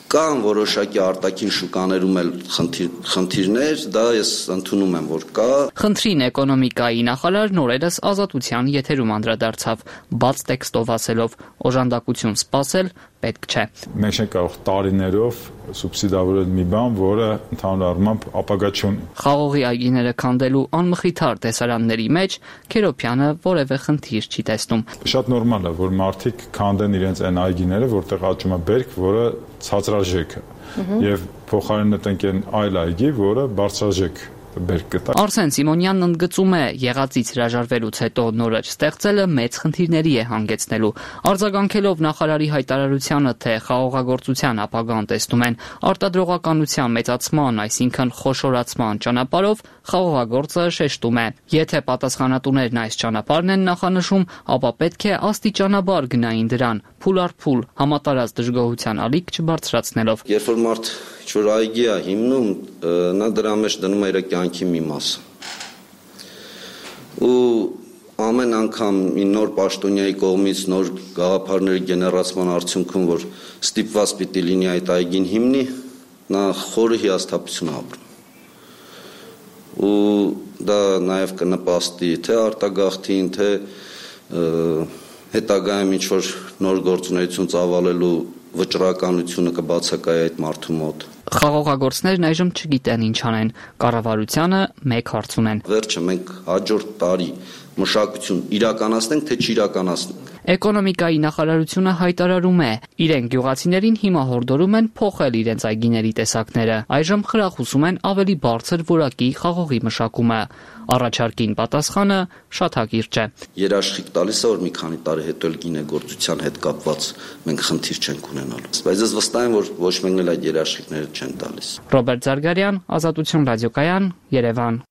[SPEAKER 10] Կան որոշակի արտաքին շուկաներում էլ խնդիր, խնդիրներ, դա ես ընդունում եմ, որ կա։
[SPEAKER 25] Խնդրին էկոնոմիկայի նախարարն օրերս Ազատության եթերում անդրադարձավ, բաց տեքստով ասելով, օժանդակություն սպասել պետք չէ։
[SPEAKER 11] Մենք չենք կարող տարիներով սուբսիդավորել մի բան, որը ընդհանուր առմամբ ապագա չունի։
[SPEAKER 25] Խաղողի այգիները քանդելու անմխիթար տեսարանների մեջ Քերոփյանը որևէ խնդիր չի տեսնում։
[SPEAKER 11] Շատ նորմալ է, որ մարդիկ քանդեն իրենց այն այգիները, որտեղ աճում է բերք, որը ցածրաժեք է, եւ փոխարենը տնկեն այլ այգի, որը բարձրաժեք
[SPEAKER 25] Արսեն Սիմոնյանն ընդգծում է, եղածից հրաժարվելուց հետո նորից ստեղծելը մեծ խնդիրների է հանգեցնելու։ Արձագանքելով նախարարի հայտարարությանը, թե խաղողագործության ապագան տեսնում են արտադրողականության մեծացման, այսինքն խոշորացման ճանապարհով, խաղողագործը շեշտում է. եթե պատասխանատուներն այս ճանապարհն են նախանշում, ապա պետք է աստիճանաբար գնային դրան, փուլ առ փուլ, համատարած դժգոհության ալիք չբարձրացնելով։
[SPEAKER 10] Երբ որ մարդ ինչ-որ այգի է հիմնում, նա դրա մեջ դնում է իր կյանքի մի մասը։ Ու ամեն անգամ մի նոր պաշտոնյայի կողմից նոր գաղափարների գեներացման արդյունքում, որ ստիպված պիտի լինի այդ այգին հիմնի, նա խորը հիասթափություն ապրում։ Ու դա նաև կնպաստի թե արտագաղթին, թե հետագայում ինչ-որ նոր գործունեություն ծավալելու վճռականությունը կբացակայի այդ մարդու մոտ։
[SPEAKER 25] Խաղողագործներն այժմ չգիտեն ինչ անեն, կառավարությանը մեկ հարց ունեն։
[SPEAKER 10] Վերջը մենք հաջորդ տարի մշակություն իրականացնենք, թե չիրականացնենք։
[SPEAKER 25] Էկոնոմիկայի նախարարությունը հայտարարում է, իրենք գյուղացիներին հիմա հորդորում են փոխել իրենց այգիների տեսակները։ Այժմ խրախուսում են ավելի բարձր որակի խաղողի մշակումը։ Առաջարկին պատասխանը շատ հակիրճ է։
[SPEAKER 10] Երաշխիք տալիս է, որ մի քանի տարի հետո էլ գինեգործության հետ կապված մենք խնդիր չենք ունենալու։ Բայց ես վստահ եմ, որ ոչ մեկն էլ այդ երաշխիքները չեն տալիս։
[SPEAKER 25] Ռոբերտ Զարգարյան, Ազատություն ռադիոկայան, Երևան։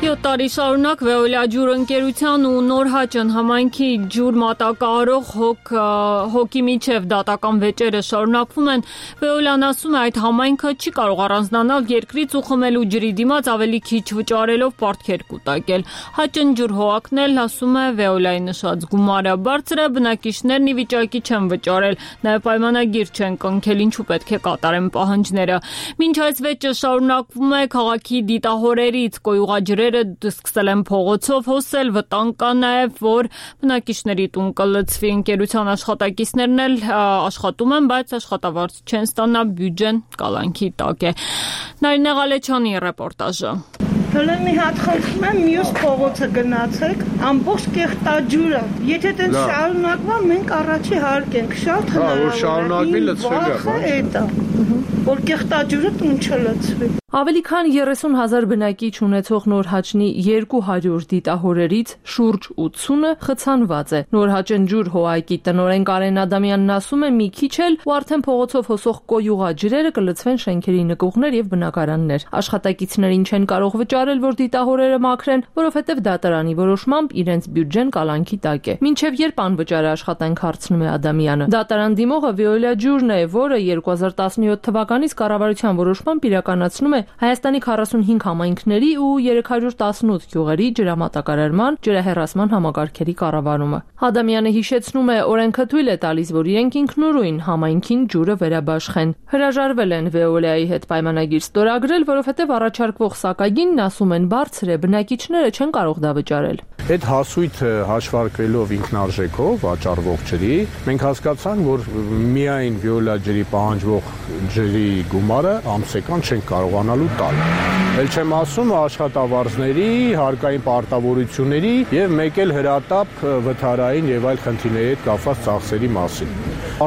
[SPEAKER 1] յոթ տարի շարունակ Veolia ջուր ընկերության ու Նորհաճն համայնքի ջուր մատակարարող հոգ հոգի միջև դատական վեճերը շարունակվում են։ Veolia-ն ասում է, այդ համայնքը չի կարող առանձնանալ երկրից ու խմելու ջրի դիմաց ավելի քիչ վճարելով պարտքեր կուտակել։ Հաճն ջուր հողակն էլ ասում է Veolia-ի նշած գումարը բարձր է, բնակիչներն ի վիճակի չեն վճարել, նաև պայմանագիր չեն կնքել, ինչու պետք է կատարեն պահանջները։ Մինչ այս վեճը շարունակվում է, քաղաքի դիտահորերից կոյուղաջրերը սկսել են փողոցով հոսել, վտանգ կա նաև, որ բնակիչների տուն կլցվի։ Ընկերության աշխատակիցներն էլ աշխատում են, բայց աշխատավարձ չեն ստանա, բյուջեն կալանքի տակ է։ Նարինե Ղալեչյանի ռեպորտաժը։
[SPEAKER 23] Հələ մի հատ խնդրում եմ մյուս փողոցը գնացեք, ամբողջ կեղտաջուրը։ Եթե դա շարունակվա, մենք առաջի հարկ ենք, շատ հնարավոր է։ Հա, որ շարունակվի լցվի դա։ Որ կեղտաջուրը տուն չլցվի։
[SPEAKER 1] Ավելի քան երեսուն հազար բնակիչ ունեցող Նորհաճնի երկու հարյուր դիտահորերից շուրջ ութսունը խցանված է։ Նորհաճնջուր հոայկի տնօրեն Կարեն Ադամյանն ասում է՝ մի քիչ էլ ու արդեն փողոցով հոսող կոյուղաջրերը կլցվեն շենքերի նկուղներ եւ բնակարաններ։ Աշխատակիցներին չեն կարող վճարել, որ դիտահորերը մաքրեն, որովհետեւ դատարանի որոշմամբ իրենց բյուջեն կալանքի տակ է։ Մինչեւ երբ անվճար աշխատանք հարցնում է Ադամյանը։ Դատարան դիմողը Վիոլիա Ջուրն է, որը երկու հազար տասնյոթ թվականից կառավարության որոշմամբ իրականացնում է Հայաստանի քառասունհինգ համայնքների ու երեք հարյուր տասնութ գյուղերի ջրամատակարարման, ջրահեռացման համակարգերի կառավարումը։ Ադամյանը հիշեցնում է, օրենքը թույլ է տալիս, որ իրենք ինքնուրույն համայնքին ջուրը վերաբաշխեն։ Հրաժարվել են Վեոլիայի հետ պայմանագիր ստորագրել, որովհետև առաջարկվող սակագինն, ասում են, բարձր է, բնակիչները չեն կարող դա վճարել։
[SPEAKER 12] Այդ հասույթը հաշվարկվելով ինքնարժեքով վաճառվող ջրի, մենք հասկացանք, որ միայն Վիոլիա ջրի պահանջվող ջրի գումարը ամսական չենք կարողանալու տալ։ Էլ չեմ ասում աշխատավարձների, հարկային պարտավորությունների եւ մեկ էլ հրատապ վթարային եւ այլ խնդիրների հետ կապված ծախսերի մասին։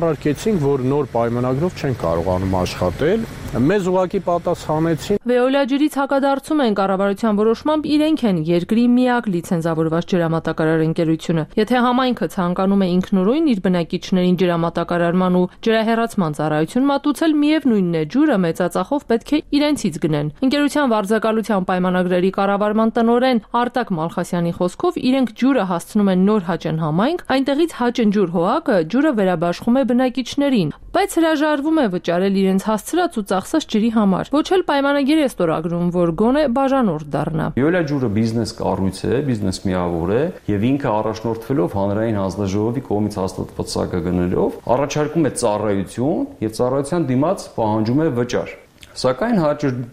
[SPEAKER 12] Առարկեցինք, որ նոր պայմանագրով չեն կարողանում աշխատել, մեզ ուղղակի պատասխանեցին։
[SPEAKER 1] Վեոլիա ջրից հակադարձում են կառավարության որոշմամբ իրենք են երկրի միակ լիցենզավորված ջրամատակարար ընկերությունը։ Եթե համայնքը ցանկանում է ինքնուրույն իր բնակիչներին ջրամատակարարման ու ջրահեռացման ծառայություն մատուցել, միևնույնն է, ջուրը մեծածախով պետք է իրենցից գնեն։ Ընկերության վարձակալության պայմանագրերի կառավարման տնօրեն Արտակ Մալխասյանի խոսքով իրենք ջուրը հասցնում են Նորհաճն համայնք, այնտեղից Հաճնջուր հոակը ջուրը վերաբաշխում է բնակիչներին, բայց հրաժարվում է վճարել իրենց հասցրած ու ծախսած ջրի համար։ Ոչ էլ պայմանագիր է ստորագրում, որ գոնե բաժանորդ դառնա։
[SPEAKER 13] Վիոլիա ջուրը բիզնես կառույց է, բիզնես միավոր է եւ ինքը առաջնորդվելով հանրային հանձնաժողովի կողմից հաստատված սակագներով առաջարկում է ծառայություն եւ ծառայության դիմաց պահանջում է վճար։ Սակայն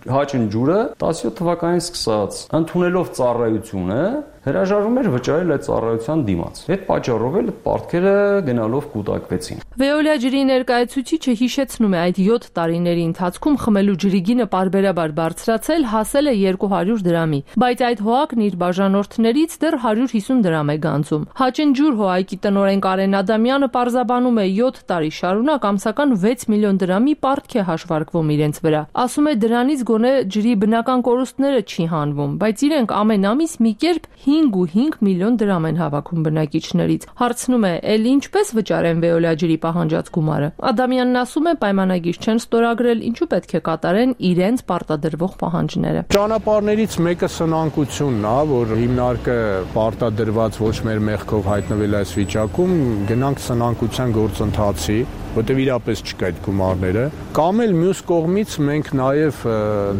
[SPEAKER 13] Հաճնջուրը տասնյոթ թվականից սկսած ընդունելով ծառայությունը հրաժարվում էր վճարել այդ ծառայության դիմաց։ Այդ պատճառով էլ պարտքերը գնալով կուտակվեցին։
[SPEAKER 1] Վեոլիա ջրի ներկայացուցիչը հիշեցնում է, այդ յոթ տարիների ընթացքում խմելու ջրի գինը պարբերաբար բարձրացել, հասել է երկու հարյուր դրամի, բայց այդ հոակն իր բաժանորդներից դեռ հարյուր հիսուն դրամ է գանձում։ Հաճնջուր հոակի տնօրեն Կարեն Ադամյանը պարզաբանում է, յոթ տարի շարունակ ամսական վեց միլիոն դրամի պարտք է հաշվարկվում իրենց վրա։ Ասում է, դրանից գոնե ջրի բնական կորուստները չի հանվում, բայց իրենք ամեն ամիս մի կերպ հինգ ու հինգ միլիոն դրամ են հավաքում բնակիչներից։ Հարցնում է, էլ ինչպես վճարեն Վեոլիա ջրի պահանջած գումարը։ Ադամյանն ասում է, պայմանագիր չեն ստորագրել, ինչու պետք է կատարեն իրենց պարտադրվող պահանջները։
[SPEAKER 12] Ճանապարհներից մեկը սնանկությունն է, որ հիմնարկը պարտադրված ոչ մեր մեղքով հայտնվել այս վիճակում, գնանք սնանկության գործընթացի, որտեղ իրապես չկա այդ գումարները, կամ էլ մյուս կողմից մենք նաև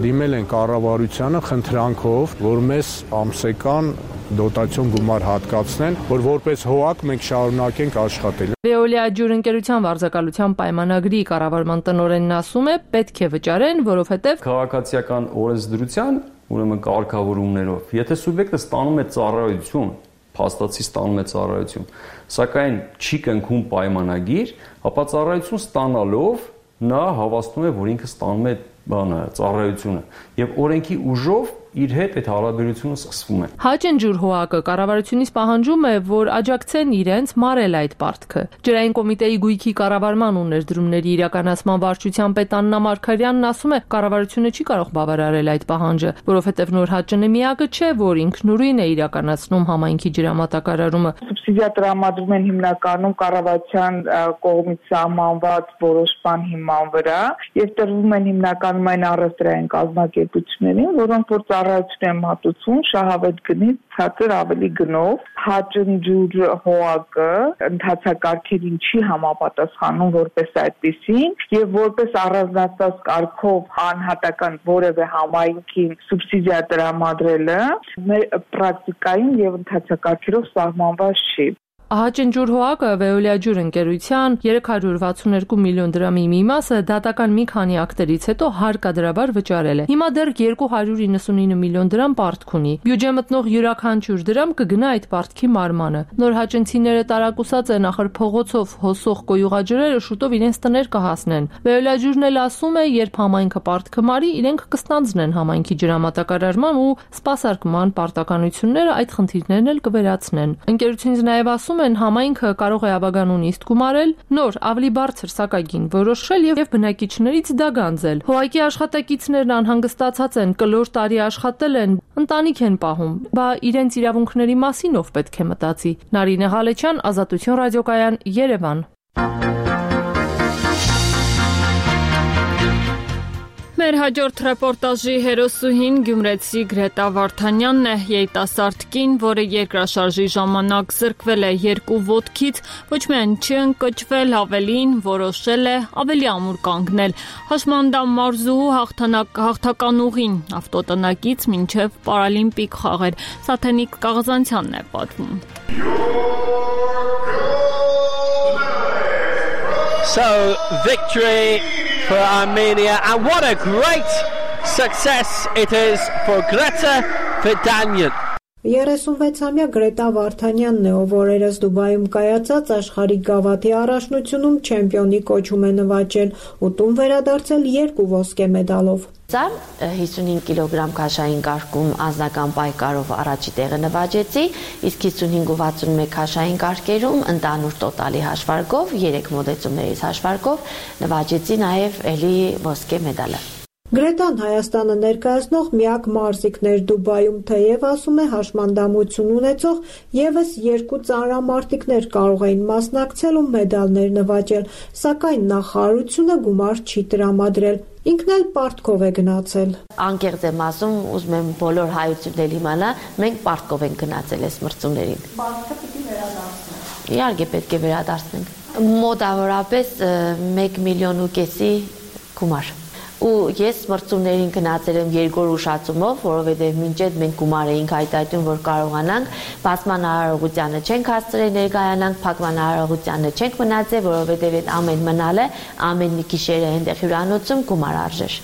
[SPEAKER 12] դիմել ենք կառավարությանը խնդրանքով, որ մեզ ամսական դոտացիոն գումար հատկացնեն, որ որպես հոակ մենք շարունակենք աշխատել։
[SPEAKER 1] Վեոլիա ջուր ընկերության վարձակալության պայմանագրի կառավարման տնօրենն ասում է, պետք է վճարեն, որովհետև
[SPEAKER 13] քաղաքացիական օրենսդրության, ուրեմն կարգավորումներով, եթե սուբյեկտը ստանում է ծառայություն, փաստացի ստանում է ծառայություն, սակայն չի կնքում պայմանագիր, ապա ծառայություն ստանալով նա հավաստում է, որ ինքը ստանում է բանը ծառայությունը եւ օրենքի ուժով իր հետ այդ հարաբերությունը սկսվում է։
[SPEAKER 1] Հաճնջուր հոակը կառավարությունից պահանջում է, որ աջակցեն իրենց մարել այդ պարտքը։ Ջրային կոմիտեի գույքի կառավարման ու ներդրումների իրականացման վարչության պետ Աննա Մարգարյանն ասում է, կառավարությունը չի կարող բավարարել այդ պահանջը, որովհետև Նորհաճնը միակը չէ, որ ինքնուրույն է իրականացնում համայնքի ջրամատակարարումը։
[SPEAKER 14] Սուբսիդիա տրամադրում են հիմնականում կառավարության կողմից սահմանված որոշման հիման վրա եւ տրվում են հիմնականում այն առևտրային կազմակերպություններին, որոնք որ ծառայություն են մատուցում շահավետ գնից ցածր ավելի գնով։ Հաճնջուր հոակը ընդհանցակարգերին չի համապատասխանում որպես այդպեսին եւ որպես առանձնացված կարգով անհատական որևէ համայնքին սուբսիդիա տրամադրելը մեր պրակտիկային եւ ընդհանցակարգերով սահմանված չի։
[SPEAKER 15] Ահաճնջուր Վեոլիա ջուր ընկերության երեք հարյուր վաթսունեքու միլիոն դրամի մի մասը դատական մի քանի ակտերից հետո հարկադրաբար վճարել է։ Հիմա դեռ երկու հարյուր իննսունինը միլիոն դրամ պարտք ունի։ Բյուջե մտնող յուրաքանչյուր դրամ կգնա այդ պարտքի մարմանը։ Նոր հաճնցիները տարակուսած են, ախր փողոցով հոսող կոյուղաջրերը շուտով իրենց տներ կհասնեն։ Վեոլիա ջուրն էլ ասում է, երբ համայնքը պարտքը մարի, իրենք կստանձնեն համայնքի ջրամատակարարման ու սպասարկման պարտականությունները, այդ խնդիրներն էլ կվերացնեն։ Ընկերությունից նաև ասում են, համայնքը կարող է ավագանուն իսկ գումարել, նոր ավելի բարձր սակագին որոշել եւ բնակիչներից դա գանձել։ Հողակի աշխատակիցներն անհանգստացած են, կլոր տարի աշխատել են, ընտանիք են պահում, բա իրենց իրավունքների մասին ով պետք է մտածի։ Նարինե Ղալեչյան, Ազատություն ռադիոկայան, Երևան։
[SPEAKER 1] Մեր հաջորդ ռեպորտաժի հերոսուհին գյումրեցի Գրետա Վարդանյանն է, երիտասարդ կին, որը երկրաշարժի ժամանակ զրկվել է երկու ոտքից, ոչ միայն չընկճվել, ավելին որոշել է ավելի ամուր կանգնել։ Հաշմանդամ մարզուհու հաղթական ուղին ավտոտնակից մինչև պարալիմպիկ խաղեր։ Սաթենիկ Կաղազանցյանն է պատմում։
[SPEAKER 16] So, victory for Armenia, and what a great success it is for Greta Vardanyan.
[SPEAKER 17] երեսունվեցամյա Գրետա Վարդանյանն է, ով օրերս Դուբայում կայացած աշխարհի գավաթի առաջնությունում չեմպիոնի կոչում է նվաճել ու տուն վերադարձել երկու ոսկե մեդալով։
[SPEAKER 18] Ծար հիսունհինգ կիլոգրամ քաշային կարգում անձնական պայքարով առաջի տեղը նվաճեցի, իսկ հիսունհինգ ու վաթսունմեկ քաշային կարգերում ընդհանուր տոտալի հաշվարկով, երեք մոդեցումներից հաշվարկով նվաճեցի նաև էլի ոսկե մեդալը։
[SPEAKER 17] Գրետան Հայաստանը ներկայացնող միակ մարզիկն էր Դուբայում, թեև ասում է հաշմանդամություն ունեցող եւս երկու ծանրամարտիկներ կարող էին մասնակցել ու մեդալներ նվաճել, սակայն նախարարությունը գումար չի տրամադրել։ Ինքն էլ պարտքով է գնացել։
[SPEAKER 18] Անկեղծ եմ ասում, ուզում եմ բոլոր հայություններ իմանա, մենք պարտքով ենք գնացել այս մրցումներին։ Պարտքը պիտի վերադարձնենք։ Իհարկե պետք է վերադարձնենք։ Մոտավորապես մեկ միլիոն ու կեսի գումար։ Ու ես մրցումներին գնացել եմ երկու ուշացումով, որովհետև մինչև մենք գումար էինք հայտարարում, որ կարողանանք, բացման արարողությանը չենք հասցրել ներկայանանք, փակման արարողությանը չենք մնացել, որովհետև այդ ամեն մնալը, ամեն մի գիշերը այնտեղ հյուրանոցում գումար արժեր։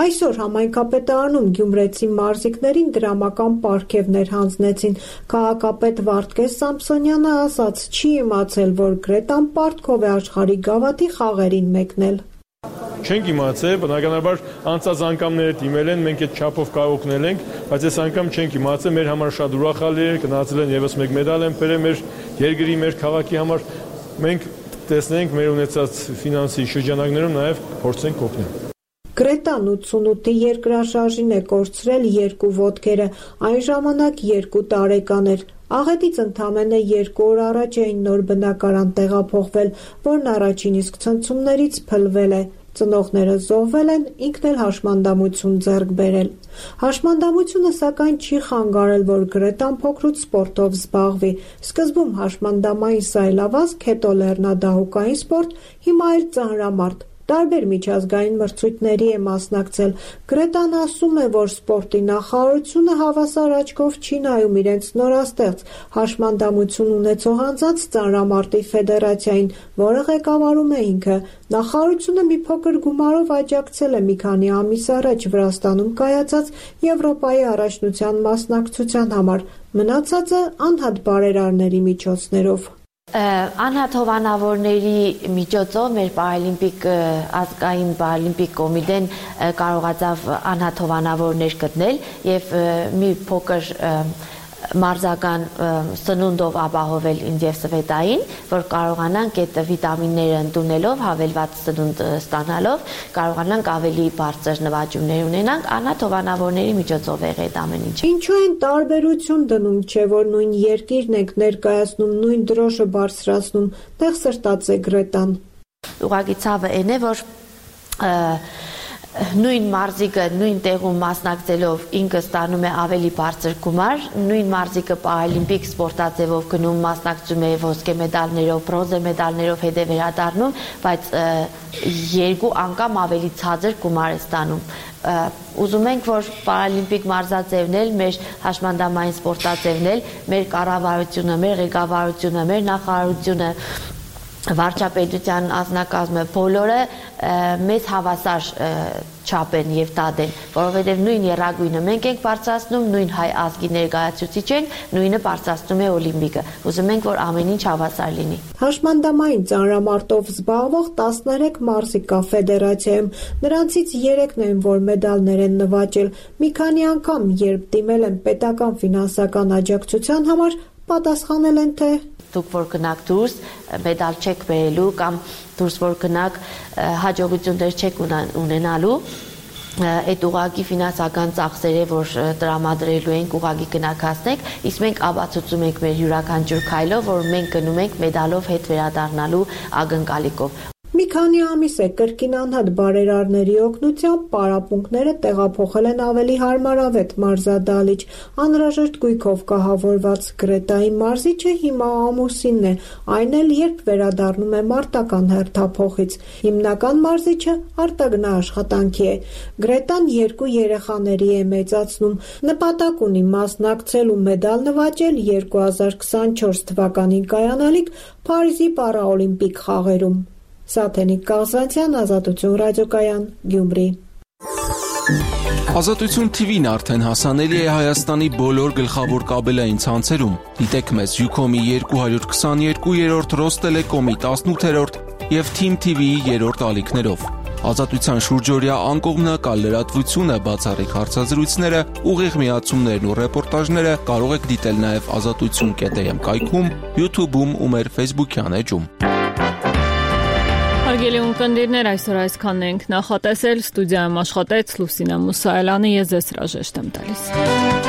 [SPEAKER 17] Այսօր համայնքապետարանում գյումրեցի մարզիկներին դրամական պարգևներ հանձնեցին։ Քաղաքապետ Վարդգես Սամսոնյանը ասաց, չի իմացել, որ Գրետան պարտքով է աշխարհի գավաթի խաղերին մեկնել։
[SPEAKER 20] Չենք իմացել, բնականաբար անցած անգամները դիմել են, մենք այդ չափով կարող օգնել ենք, բայց այս անգամ չենք իմացել, մեր համար շատ ուրախալի էր, գնացել են եւս մեկ մեդալ են բերել մեր երկրի, մեր քաղաքի համար։ Մենք տեսնենք մեր ունեցած ֆինանսի շրջանակներում նաեւ փորձենք օգնել։
[SPEAKER 17] Գրետան ութսունութի երկրաշարժին է կորցրել երկու ոտքերը, այն ժամանակ երկու տարեկան էր։ Աղետից ընդամենը երկու օր առաջ էին նոր բնակարան տեղափոխվել, որն առաջին իսկ ցնցումներից փլվել է։ Ծնողները զոհվել են, ինքն էլ հաշմանդամություն ձեռք բերել։ Հաշմանդամությունը սակայն չի խանգարել, որ Գրետան փոքրուց սպորտով զբաղվի։ Սկզբում հաշմանդամային սայլավազք, հետո լեռնադահուկային սպորտ, հիմա էլ ծանրամարտ։ Տարբեր միջազգային մրցույթների է մասնակցել։ Գրետան ասում է, որ սպորտի նախարարությունը հավասար աչքով չի նայում իրենց նորաստեղծ հաշմանդամություն ունեցող անձանց ծանրամարտի ֆեդերացիային, որը ղեկավարում է ինքը։ Նախարարությունը մի փոքր գումարով աջակցել է մի քանի ամիս առաջ Վրաստանում կայացած Եվրոպայի առաջնության մասնակցության համար, մնացածը անհատ բարերարների միջոցներով։
[SPEAKER 18] Անհատ հովանավորների միջոցով մեր պարալիմպիկ ազգային պարալիմպիկ կոմիտեն կարողացավ անհատ հովանավորներ գտնել եւ մի փոքր մարզական սնունդով ապահովել ինձ եւ Սվետային, որ կարողանանք այդ վիտամինները ընդունելով, հավելված սնունդ ստանալով, կարողանանք ավելի բարձր նվաճումներ ունենանք, անհատ հովանավորների միջոցով եղել այդ ամեն ինչը։
[SPEAKER 17] Ինչու են տարբերություն դնում, չէ՞ որ նույն երկիրն եք ներկայացնում, նույն դրոշը բարձրացնում, տեղ սրտած է Գրետան։
[SPEAKER 18] Ուղղակի ցավը այն է, որ նույն մարզիկը նույն տեղում մասնակցելով ինքը ստանում է ավելի բարձր գումար, նույն մարզիկը պարալիմպիկ սպորտաձևով գնում մասնակցում է ոսկե մեդալներով, բրոնզե մեդալներով հետ է վերադառնում, բայց երկու անգամ ավելի ցածր գումար է ստանում։ ուզում ենք, որ պարալիմպիկ մարզաձևն էլ, մեր հաշմանդամային սպորտաձևն էլ, մեր կառավարությունը, մեր ղեկավարությունը, մեր նախարարությունը, վարչապետության անձնակազմը բոլորը մեզ հավասար չափեն եւ տադեն, որովհետեւ նույն երագույնը մենք ենք բարձրացնում, նույն հայ ազգի ներկայացուցիչ ենք, նույնը բարձրացնում է օլիմպիկը։ Ուզում ենք, որ ամեն ինչ հավասար լինի։
[SPEAKER 17] Հաշմանդամային ծանրամարտով զբաղվող տասներեք մարզիկ կա ֆեդերացիայում, նրանցից երեքն են, որ մեդալներ են նվաճել։ Մի քանի անգամ, երբ դիմել են պետական ֆինանսական աջակցության համար, պատասխանել են, թե
[SPEAKER 18] դուք որ գնաք դուրս, մեդալ չեք բերելու կամ դուրս որ գնաք հաջողություններ չեք ունենալու, այդ ուղղակի ֆինանսական ծախսերը, որ տրամադրելու ենք, ուղղակի գնաք հասնեք, իսկ մենք ապացուցում ենք մեր յուրաքանչյուր քայլով, որ մենք գնում ենք մեդալով հետ վերադառնալու ակնկալիքով։
[SPEAKER 17] Մի քանի ամիս է կրկին անհատ բարերարների օգնությամբ պարապմունքները տեղափոխել են ավելի հարմարավետ մարզադահլիճ։ Անհրաժեշտ գույքով կահավորված Գրետայի մարզիչը հիմա ամուսինն է, այն էլ երբ վերադառնում է մարտական հերթափոխից։ Հիմնական մարզիչը արտագնա աշխատանքի է։ Գրետան երկու երեխաների է մեծացնում։ Նպատակ ունի մասնակցել ու մեդալ նվաճել երկու հազար քսանչորս թվականին կայանալիք Փարիզի պարաօլիմպիկ խաղերում։ Սաթենիկ Կազանցյան, Ազատություն ռադիոկայան, Գյումրի։
[SPEAKER 2] Ազատություն Թի Վին արդեն հասանելի է Հայաստանի բոլոր գլխավոր կաբելային ցանցերում։ Դիտեք մեզ Յուքոմի երկու հարյուր քսաներկու, Ռոստելեկոմի տասնութերորդ եւ Թիմ Թի Վիի երրորդ ալիքներով։ Ազատության շուրջօրյա անկողմնակալ լրատվությունը, բացառիկ հարցազրույցները, ուղիղ միացումներն ու ռեպորտաժները կարող եք դիտել նաև ազատություն կետ էմ կայքում, YouTube-ում ու մեր Facebook-յան էջում։
[SPEAKER 1] Հարգելի ունկնդիրներ, այսօր այսքանն ենք նախատեսել, ստուդիայում աշխատեց Լուսինա Մուսայելյանը, ես ձեզ հրաժեշտ եմ տալիս։